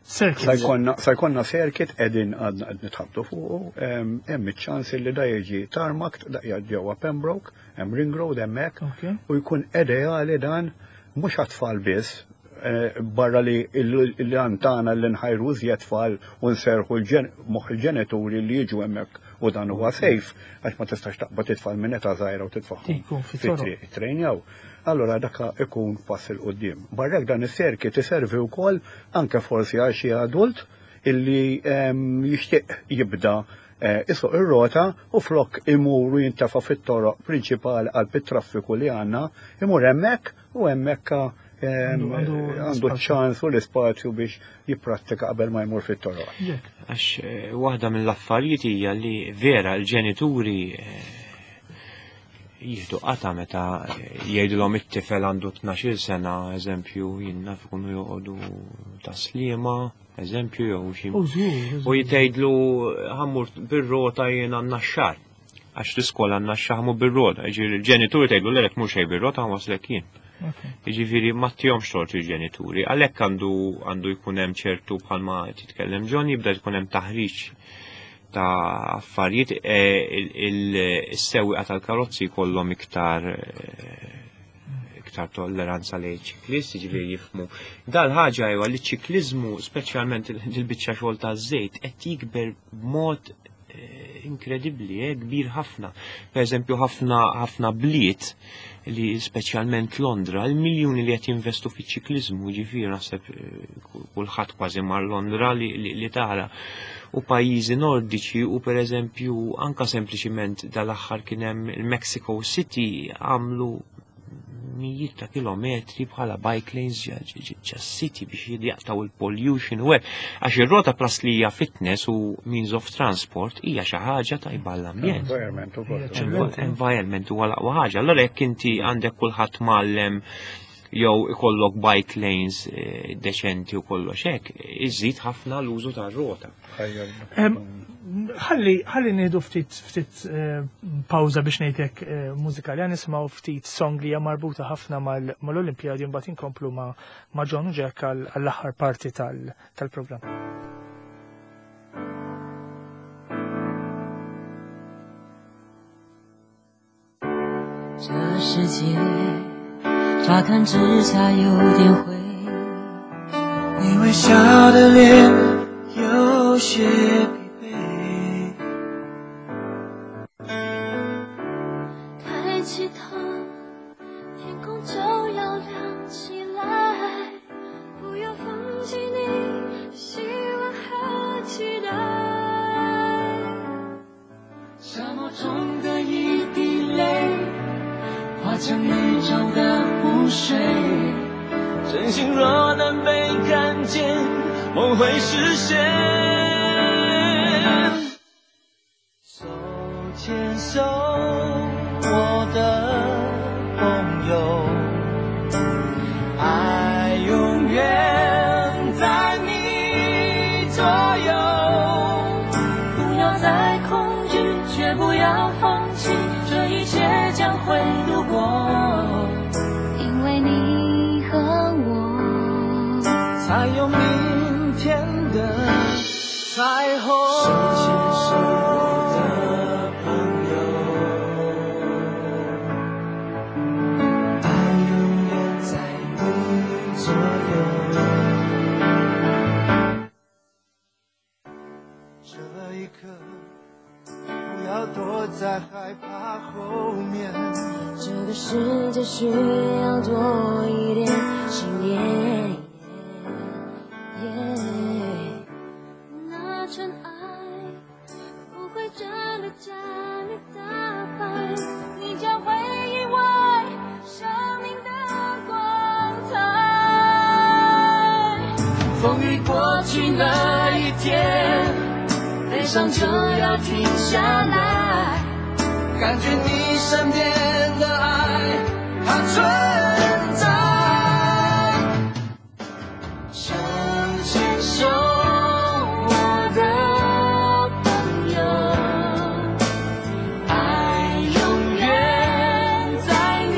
Speaker 1: circuit.
Speaker 3: Sa jkollna sa jkollna circuit qegħdin għadna qed nitħabtu fuqu, em, hemm iċ-ċans li da jiġi tarmac daqja ġewwa Pembroke, hemm Ring Road hemmhekk,
Speaker 1: Ok.
Speaker 3: u jkun ideali dan mhux għat-tfal biss, eh, barra li l-għan tagħna li nħajru iżjed tfal u nserħu l-ġen- moħħ il-ġenituri li jiġu hemmhekk u dan huwa safe għax ma tistax taqbad it-tfal minn età żgħira u titfagħhom
Speaker 1: Ikun fit-toroq.
Speaker 3: fit-triq trejnjaw. Allora daka ikun pass 'il quddiem. Barrek dan is-circuit iservi wkoll anke forsi għal xi adult illi em, jixtieq jibda eh, isuq ir-rota u flok imur u jintafa fit-toroq prinċipali għal traffiku li għandna, imur hemmhekk u hemmhekk em,
Speaker 1: Għandu- għandu
Speaker 3: għandu
Speaker 1: spazju.
Speaker 3: ċans u l-ispazju biex jipprattika qabel ma jmur fit-toroq.
Speaker 1: Ġek.
Speaker 4: Għax eh, waħda mill-affarijiet hija li vera l-ġenituri eh, jieħdu qata meta eh, jgħidulhom it-tifel għandu tnax-il sena, eżempju, jien naf ikunu joqogħdu Tas-Sliema, eżempju, jew xi
Speaker 1: U żgur.
Speaker 4: U jgħidlu ħa mmur bir-rota jiena n-Naxxar. Għax l-iskola n-Naxxar ħa mmur bir-rota. Ġifieri il-ġenituri tgħidlu le mhux xejn bir-rota ħa waslek jien.
Speaker 1: Ok.
Speaker 4: Jiġifieri ma tihomx tort il-ġenituri. Għalhekk għandu għandu jkun hemm ċertu bħalma titkellem John jibda jkun hemm taħriġ ta' affarijiet eh, il- il- is-sewwieqa tal-karozzi jkollhom iktar eh, iktar tolleranza lejn ċiklist, ġifieri jifhmu. Dal-ħaġa huwa li ċ-ċiklizmu, speċjalment il-biċċa xogħol taż-żejt, qed jikber b'mod eh, inkredibbli, eh, kbir ħafna. Per eżempju, ħafna ħafna bliet li speċjalment Londra, il-miljuni li qed jinvestu fiċ-ċiklizmu, ġifieri naħseb eh, kulħadd kważi mar Londra li, li, li tara. U pajjiżi nordiċi u per eżempju anka sempliċiment dal-aħħar kien hemm il-Mexico City għamlu mijiet ta' kilometri bħala bike lanes ġa city biex jaqtaw il-pollution u hekk. Għax ir-rota plus li hija fitness u means of transport hija xi ħaġa tajba l-ambjent.
Speaker 3: Environment ukoll.
Speaker 1: Eċċellenti.
Speaker 4: Environment huwa l-aqwa ħaġa. Allora jekk inti għandek kulħadd mgħallem jew ikollok bike lanes eh, deċenti u kollox hekk, iżid ħafna l-użu tar-rota.
Speaker 1: Em, Ħalli ħalli nieħdu ftit ftit eh, pawża biex ngħidlek eh, mużikali, ħa nisimgħu ftit song li hija marbuta ħafna mal- mal-Olimpjadi, mbagħad inkomplu ma' ma' John u Jack għall- għall-aħħar parti tal- tal-programm.
Speaker 5: 这世界乍看之下有点灰，
Speaker 6: 你微笑的脸有些疲惫。
Speaker 7: 抬起头，天空就要亮起来，不要放弃你的希望和期待。
Speaker 6: 沙漠中的一滴泪，化成宇宙的湖水。真心若能被看见，梦会实现。手牵手，我的朋友，爱永远在你左右。
Speaker 7: 不要再恐惧，绝不要放弃，这一切将会度过。因为你和我，
Speaker 6: 才有明天的彩虹。手牵手，我的朋友，爱永远在你左右。这一刻，不要躲在害怕后面。
Speaker 5: 这个世界需要多一点信念。
Speaker 7: 那尘埃不会真的将你打败，你将会意外生命的光彩。
Speaker 6: 风雨过去那一天，悲伤就要停下来，感觉你身边的爱，它存在。手牵手，我的朋友，爱永远在你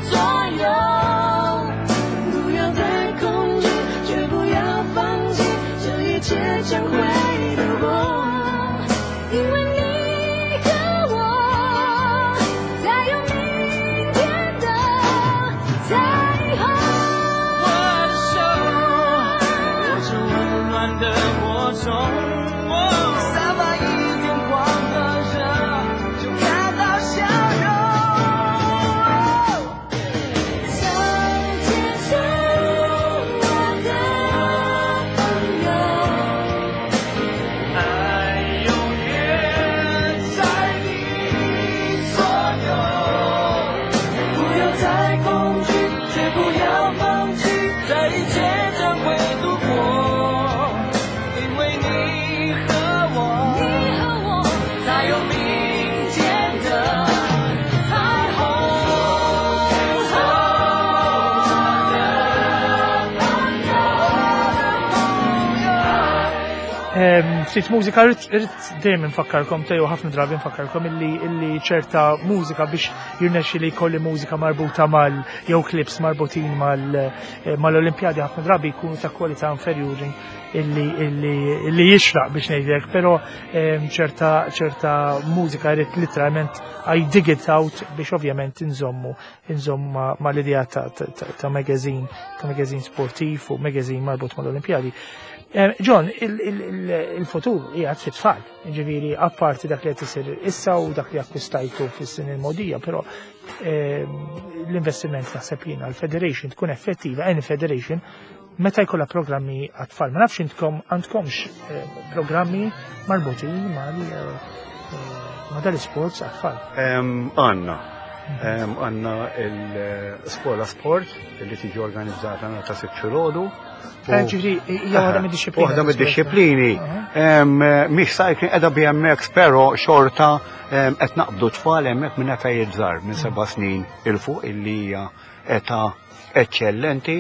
Speaker 6: 左右。
Speaker 7: 不要再恐惧，绝不要放弃，这一切将会度过。因为你和我，才有明天的彩虹。
Speaker 6: 我的手握着温暖的火种，散发一点光和热，就看到笑容。
Speaker 7: 手牵手，我的朋友，
Speaker 6: 爱永远在你左右，不要再恐惧，绝不要放弃，这一切将会度过，因为你和我，
Speaker 7: 你和我
Speaker 6: 才有明天的彩虹。
Speaker 1: Em, Ftit mużika, irrid irrid dejjem nfakkarkom, teju ħafna drabi nfakkarkom illi illi ċerta mużika biex jirnexxi li jkolli mużika marbuta mal jew clips marbutin mal eh, mal-Olimpjadi ħafna drabi jkunu ta' kwalità inferjuri illi illi illi jixraq biex ngħidlek, però em, ċerta ċerta mużika irrid literalment I dig it out biex ovvjament inżommu inżommu ma, ma l-idea ta', ta, ta, ta' magazine ta' magazine sportiv u magazine marbut mal-Olimpjadi. Eh, John, il- il- il- il-futur qiegħed fit-tfal, ġifieri apparti dak li qed isir issa u dak li akkwistajtu fis-snin il-mogħdija, però ehm, l-investiment naħseb jiena l-Federation tkun effettiva, any federation, meta jkollha programmi għat-tfal. Ma nafx intkom għandkomx eh, programmi marbutin mal eh, eh, ma dal-isports għat-tfal.
Speaker 3: Em, Għanna. Em, Għanna il-skola sport li tiġi organizzata nhar ta' Sibt filgħodu.
Speaker 1: Eh, Ġifieri, hija waħda mid-dixxiplini.
Speaker 3: Waħda mid-dixxiplini.
Speaker 1: Aha.
Speaker 3: Em, Mhix cycling, qiegħda B M X, però xorta em, qed naqbdu tfal hemmhekk minn eta żgħar, minn seba' snin 'il fuq, illi hija età eċċellenti,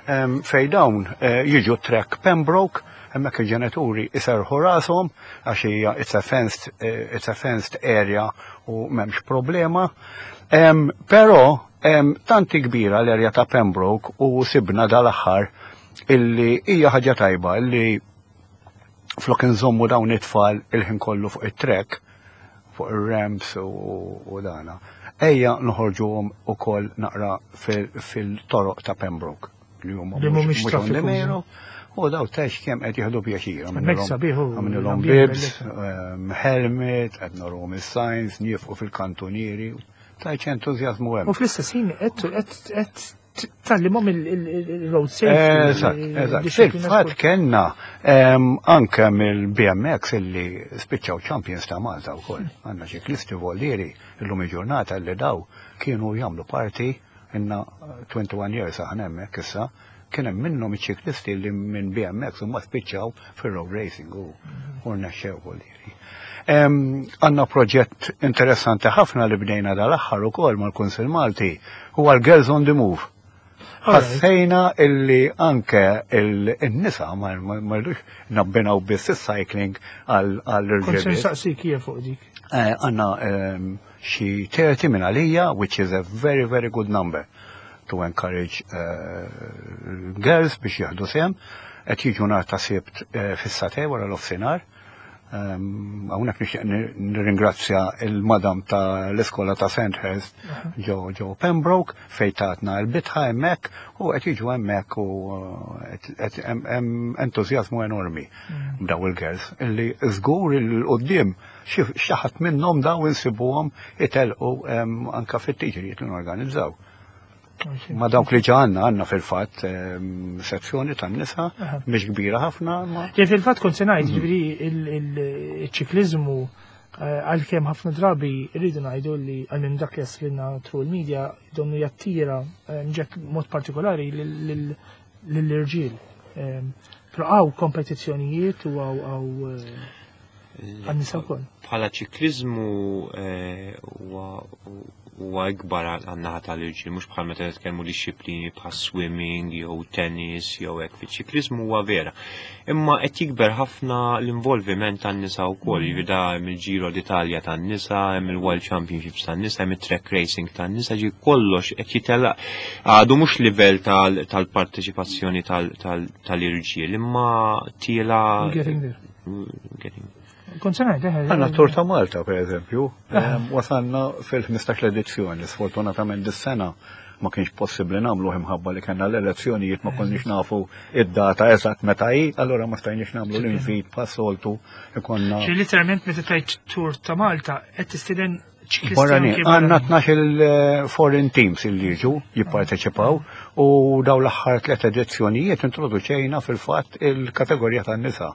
Speaker 3: em, fej dawn eh, jiġu track Pembroke, Hemmhekk il-ġenituri iserħu rashom għax hija it's a fenced, eh, it's a fenced area u m'hemmx problema. Em, Però em, tanti kbira l-area ta' Pembroke u sibna dal-aħħar illi hija ħaġa tajba illi flok nżommu dawn it-tfal il-ħin kollu fuq it-track, fuq ir-ramps u, u dana. Ejja noħorġuhom ukoll naqra fil- fil-toroq ta' Pembroke li huma
Speaker 1: Li mhumiex
Speaker 3: mhux on the
Speaker 1: traffiku.
Speaker 3: main road. U daw tex kemm qed jieħdu pjaċir.
Speaker 1: Hemmhekk sabiħ u
Speaker 3: Għamilhom
Speaker 1: l-ambjent
Speaker 3: bibs, um, helmet, qed narhom is-signs, niefqu fil-kantunieri. Tajċ entużjażmu hemm.
Speaker 1: U fl-istess ħin qed qed qed tgħallimhom il-road safety.
Speaker 3: Eżatt, eżatt.
Speaker 1: il-disciplina
Speaker 3: Fil-fatt
Speaker 1: sport.
Speaker 3: kellna em, anke mill-B M X illi spiċċaw champions ta' Malta wkoll. Għandna ċiklisti vollieri illum il-ġurnata li daw kienu jagħmlu parti inna twenty-one years aħna hemmhekk issa, kien hemm minnhom iċ-ċiklisti li minn B M X huma spiċċaw fir-road racing u u rnexxew vollieri. Em, Għandna proġett interessanti ħafna li bdejna dal-aħħar ukoll mal-Kunsil Malti, huwa l-Girls on the Move. Ħassejna illi anke il-nisa ma ma- ma rridux nabbinaw biss is-cycling
Speaker 1: Kont se
Speaker 3: għall-irġiel.
Speaker 1: nsaqsik hija fuq dik.
Speaker 3: Eh, Għandna ehm, xi thirty minn għalija, which is a very, very good number to encourage uh, girls biex jieħdu sehem. Qed jiġu nhar ta' Sibt eh, fis-sagħtejn wara l-offsinar. Um, Hawnhekk nixtieq nir- nirringrazzja il-madam ta' l-iskola ta' Sandhurst ġo ġo Pembroke fejn tatna l-bitħa hemmhekk u qed jiġu hemmhekk u uh, qed- qed hemm hemm entużjażmu enormi daw il-girls illi żgur il-qudiem xi xi ħadd minnhom daw insibuhom itelqu em, anka fit-tiġrijiet li norganizzaw. Ma dawk li ġa għandna għandna fil-fatt em, sezzjoni tan-nisa
Speaker 1: Aha.
Speaker 3: mhix kbira ħafna ma
Speaker 1: Ja, fil-fatt kont se ngħid, ġifieri il-ċikliżmu, għalkemm ħafna drabi rridu ngħidu li għal minn dak li jaslilna through il-media donnu jattira eh, mġek mod partikolari lill-irġiel. Però hawn kompetizzjonijiet u hawn hawn għan-nisa wkoll.
Speaker 4: Bħala ċiklizmu eh, huwa huwa ikbar għan-naħa tal-irġiel, mhux bħal meta nitkellmu disċiplini bħal swimming jew tennis jew hekk. Fiċ-ċiklizmu huwa vera. Imma qed jikber ħafna l-involviment tan-nisa wkoll, mm. da hemm il-Giro d'Italia tan-nisa, hemm il-World Championships tan-nisa, hemm it-track racing tan-nisa, ġi kollox qed jitela għadu mhux livell tal-parteċipazzjoni tal-irġiel, imma tiela
Speaker 1: Getting there.
Speaker 4: Getting
Speaker 1: Kont se ngħid, eh,
Speaker 3: Għandna Tour ta' Malta, per eżempju, em, wasalna fil-ħmistax edizzjoni, sfortunatament dis-sena ma kienx possibbli nagħmlu imħabba li kellna l-elezzjonijiet, ma konniex nafu id-data eżatt meta hi, allura ma stajniex nagħmlu l-invit pas-soltu ikonna.
Speaker 1: Ġi literalment meta tgħid Tour ta' Malta qed tistieden ċiklisti
Speaker 3: Barrani,
Speaker 1: anke
Speaker 3: għandna
Speaker 1: barranin.
Speaker 3: tnax il-foreign teams illi jiġu jipparteċipaw u daw l-aħħar tliet edizzjonijiet introduċejna fil-fatt il-kategorija tan-nisa.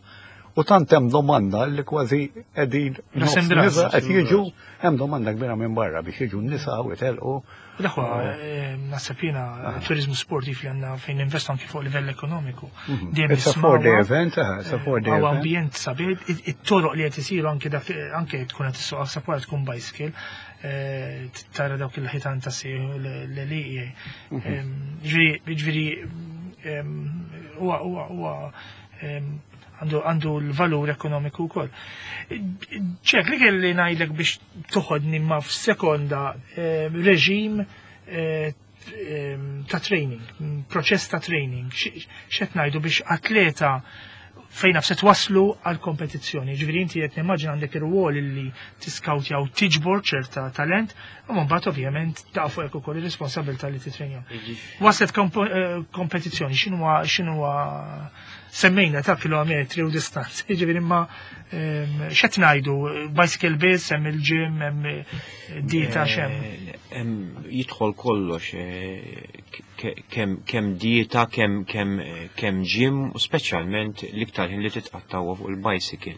Speaker 3: U tant hemm domanda li kważi qegħdin nofs
Speaker 1: Nasem dras.
Speaker 3: nisa qed jiġu, hemm domanda kbira minn barra biex jiġu n-nisa u jtelqu.
Speaker 1: L-aħwa, eh, naħseb jiena turizmu sportiv li għandna fejn investu anki fuq livell ekonomiku. Dejjem
Speaker 3: It's a
Speaker 1: nismgħuha.
Speaker 3: four day event, eh, it's a four day
Speaker 1: Għaw
Speaker 3: event.
Speaker 1: ambjent sabiħ, it-toroq li qed isiru anke dak anke tkun qed issuq sapwara tkun bicycle, eh, tara dawk il-ħitan ta' sieħ l-liqi. Ġifieri, ġifieri, em, huwa huwa huwa em, għandu għandu l-valur ekonomiku wkoll. Ċek, li kelli ngħidlek biex toħodni ma f'sekonda eh, reġim eh, em, ta' training, proċess ta' training, x'qed ngħidu biex atleta fejn nafse waslu għal kompetizzjoni. Ġifieri inti qed nimmaġina għandek ir-rwol li tiskautja u tiġbor ċerta talent, u mbagħad ovvjament ta' fuq ukoll ir-responsabilità li titrenja. Waslet kompo- eh, kompetizzjoni, x'inhuwa x'inhuwa semmejna ta' kilometri u distanzi, ġifieri imma em, x'qed ngħidu, bicycle biss, hemm il-gym, hemm eh, dieta, x'hemm.
Speaker 4: Eh, hemm jidħol kollox, eh, ke- kemm kemm dieta, kemm kemm eh, kemm gym u speċjalment l-iktar ħin li titqattaw fuq il-bicycle.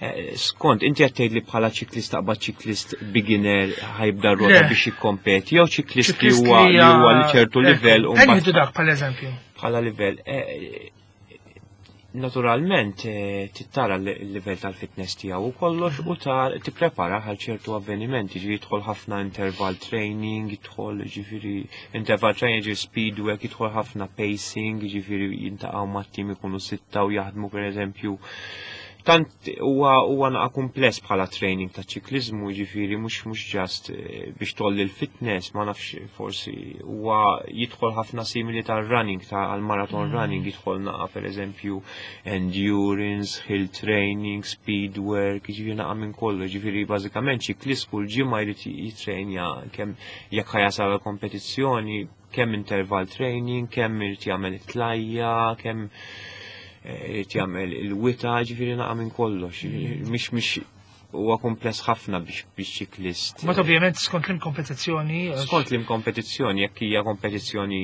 Speaker 4: Eh, Skont, inti qed tgħid li bħala ċiklist taqbad ċiklist beginner ħa jibda rota
Speaker 1: Le.
Speaker 4: biex jikkompeti jew ċiklist li
Speaker 1: Ċiklist
Speaker 4: huwa li huwa li ċertu
Speaker 1: eh,
Speaker 4: livell u
Speaker 1: Ejja
Speaker 4: mbagħad
Speaker 1: nieħdu dak bħal eżempju.
Speaker 4: bħala livell. eh, Naturalment eh, tittara l-livell tal-fitness tiegħu u kollox u ta' tipprepara għal ċertu avvenimenti, ġifieri jidħol ħafna interval training, jidħol ġifieri interval training, ġifieri speed work, jidħol ħafna pacing, ġifieri jiltaqgħu mat-tim ikunu sitta u jaħdmu pereżempju. Tant huwa huwa naqa kumpless bħala training ta' ċiklizmu, ġifieri mhux mhux just eh, biex tolli l-fitness, ma nafx, forsi huwa jidħol ħafna simili tal-running, ta' għal-marathon mm. running, jidħol naqa pereżempju endurance, hill training, speed work, ġifieri naqa minn kollu, ġifieri bażikament ċiklist kull ġimgħa jrid jitrejnja kemm jekk ħa jasal kompetizzjoni, kemm interval training, kemm irid jagħmel it-tlajja, kemm irid jagħmel il-wita, ġifieri naqa minn kollox. Mhix mhix huwa kumpless ħafna biex biex ċiklist.
Speaker 1: Ma ovvjament skont lim kompetizzjoni.
Speaker 4: Skont lim kompetizzjoni, jekk hija kompetizzjoni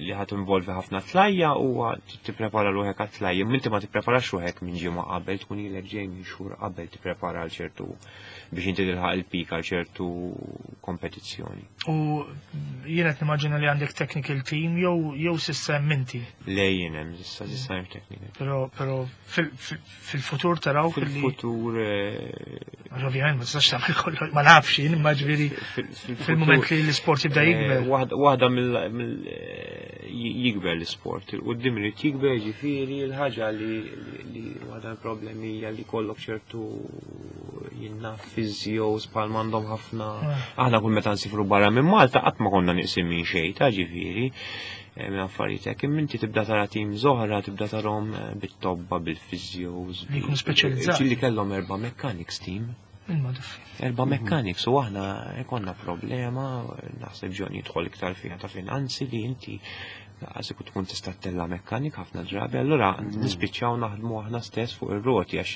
Speaker 4: li ħadd involvi ħafna tlajja, huwa tipprepara ruħek għat-tlajja. Inti ma tippreparax ruħek minn ġimgħa qabel, tkun ilek ġej minn xhur qabel tipprepara għal ċertu biex inti tilħaq il-pik għal ċertu kompetizzjoni.
Speaker 1: U jiena qed nimmaġina li għandek technical team jew jew s'issa inti.
Speaker 4: Le, jien hemm s'issa s'issa hemm technical.
Speaker 1: Però però fil-futur taraw
Speaker 4: fil-futur.
Speaker 1: Għax ovvjament ma tistax tagħmel kollox, ma nafx jien, imma ġifieri fil-mument li l-isport jibda jikber.
Speaker 4: Waħda mill jikber l-isport, il-qudiem irid jikber, ġifieri l-ħaġa li li waħda l-problemi hija li kollok ċertu jiena physios bħal m'għandhom ħafna. Aħna kull meta nsifru barra minn Malta qatt ma konna nieqsin minn xejn ta' ġifieri minn affarijiet hekk, imma inti tibda tara team oħra, tibda tarahom bit-tobba, bil-physios.
Speaker 1: Li jkunu speċjalizzati.
Speaker 4: Li kellhom erba' mechanics team. Erba' mechanics u aħna konna problema, naħseb John jidħol iktar fiha, ta' finanzi, li inti għażi tkun tista' tella mekkanik ħafna drabi, allura nispiċċaw naħdmu aħna stess fuq ir-roti għax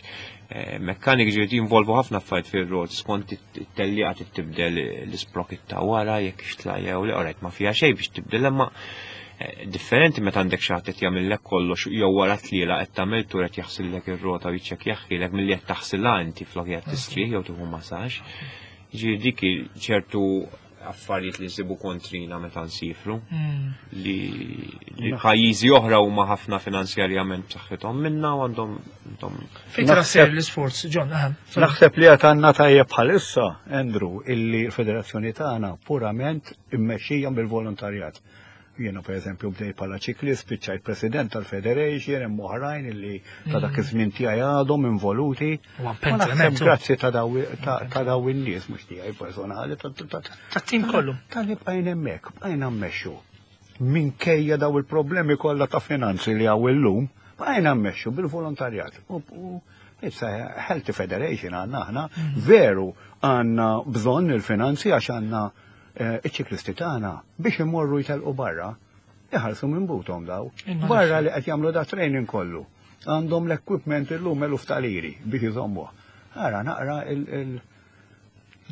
Speaker 4: eh, mekkanik ġiet jinvolvu ħafna affarijiet fir-roti, skont it-tellieqa tibdel l-isprocket ta' wara jekk ixtlajja u li orajt ma fiha xejn biex tibdel, imma eh, differenti meta għandek xi ħadd qed jagħmellek kollox jew wara tliela qed tagħmel tur qed jaħsillek ir-rota u jiċċekkjaħilek milli qed taħsilha inti flok qed tistrieħ jew tieħu masaġġ. Ġifieri dik ċertu affarijiet li nsibu kontrina meta nsifru li li pajjiżi oħra huma ħafna finanzjarjament b'saħħithom minna u għandhom għandhom
Speaker 1: Fejn tara ser l-isports, John, aha.
Speaker 3: Naħseb li għad għandna tajjeb bħalissa, Andrew, illi l-federazzjoni tagħna purament immexxija bil-volontarjat. Jiena per eżempju bdejt bħala ċiklist, spiċċajt president tal-Federation, hemm oħrajn illi ta' dak iż-żmien tiegħi għadhom involuti.
Speaker 1: U
Speaker 3: Ma naħseb
Speaker 1: tremendo.
Speaker 3: grazzi ta' daw ta' ta' daw in-nies, mhux tiegħi personali, ta' ta'
Speaker 1: Tat-tim kollu.
Speaker 3: Tal-li bqajna hemmhekk, bqajna mmexxu. Minkejja daw il-problemi kollha ta' finanzi li hawn illum, bqajna mmexxu bil-volontarjat. U u it's a healthy federation għandna aħna, veru għandna bżonn il-finanzi għax għandna eh, iċ-ċiklisti tagħna biex imorru jtelqu barra, iħallsu minn buthom daw.
Speaker 1: Imma
Speaker 3: Barra li qed jagħmlu da training kollu. Għandhom l-equipment illum eluf ta' liri biex iżommuh. Ara naqra il- il-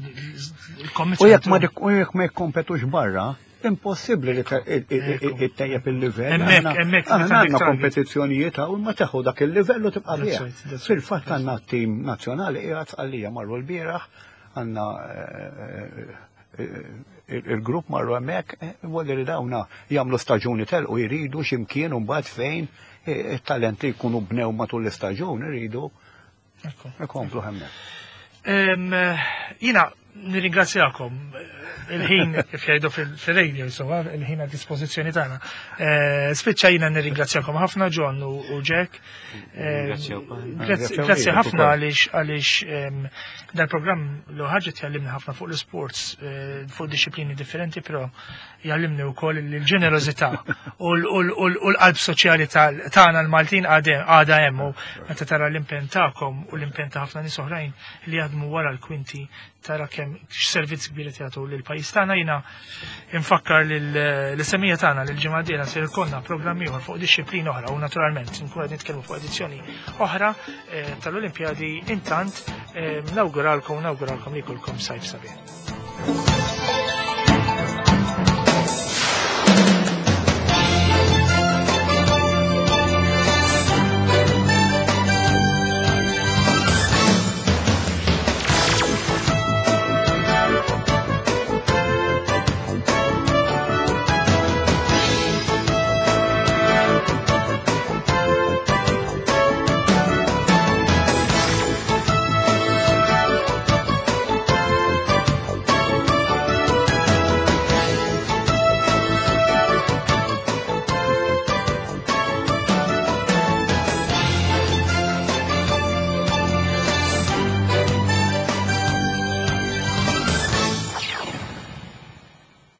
Speaker 1: Il-commitment.
Speaker 3: U jekk ma dik- u jekk ma jikkompetux barra, impossibbli li ittejjeb il-livell.
Speaker 1: Hemmhekk,
Speaker 3: Aħna-
Speaker 1: hemmhekk,
Speaker 3: Aħna
Speaker 1: meta
Speaker 3: għandna
Speaker 1: għandek target.
Speaker 3: kompetizzjonijiet hawn ma teħu dak il-livell u tibqa'
Speaker 1: That's
Speaker 3: bih.
Speaker 1: right, that's right,
Speaker 3: Fil-fatt għandna tim nazzjonali qiegħed għalija marru l-bieraħ, għandna eh, eh, il-grupp marru hemmhekk, eh, voldiri li dawna jagħmlu staġuni telqu jridu x'imkien u mbagħad fejn eh, it-talenti jkunu bnew matul l-istaġun iridu
Speaker 1: Ekku.
Speaker 3: ikomplu hemmhekk.
Speaker 1: Em, Jiena nirringrazzjakom eh, il-ħin kif jgħidu fil-radio, insomma, il-ħin għad dispożizzjoni tagħna. Eh, Spiċċa jiena nirringrazzjakom ħafna John u u Jack. Eh,
Speaker 4: Ringrazzjawk.
Speaker 1: Grazzi
Speaker 3: Ringrazzjaw
Speaker 1: grazzi
Speaker 3: lilek
Speaker 1: ħafna
Speaker 3: ukoll.
Speaker 1: għaliex għaliex em, dal-programm l ħaġa tjallimni ħafna fuq l-sports, eh, fuq disciplini differenti, però jgħallimni wkoll il-ġenerożità u l- u l- u l- u l-qalb soċjali tal- tagħna l-Maltin għadha għadha hemm u meta tara l-impenn tagħkom u l-impenn ta' ħafna nies oħrajn li jaħdmu wara l-kwinti tara kemm x'servizz kbir qed jagħtu lill-pajjiż tagħna. Jiena infakkar lill-semmiegħa tagħna li l-ġimgħa d-dieħla se jkollna programm ieħor fuq disċiplina oħra u naturalment nkunu qed nitkellmu fuq edizzjoni oħra eh, tal-Olimpjadi. Intant eh, nawguralkom nawguralkom li jkollkom sajf sabiħ.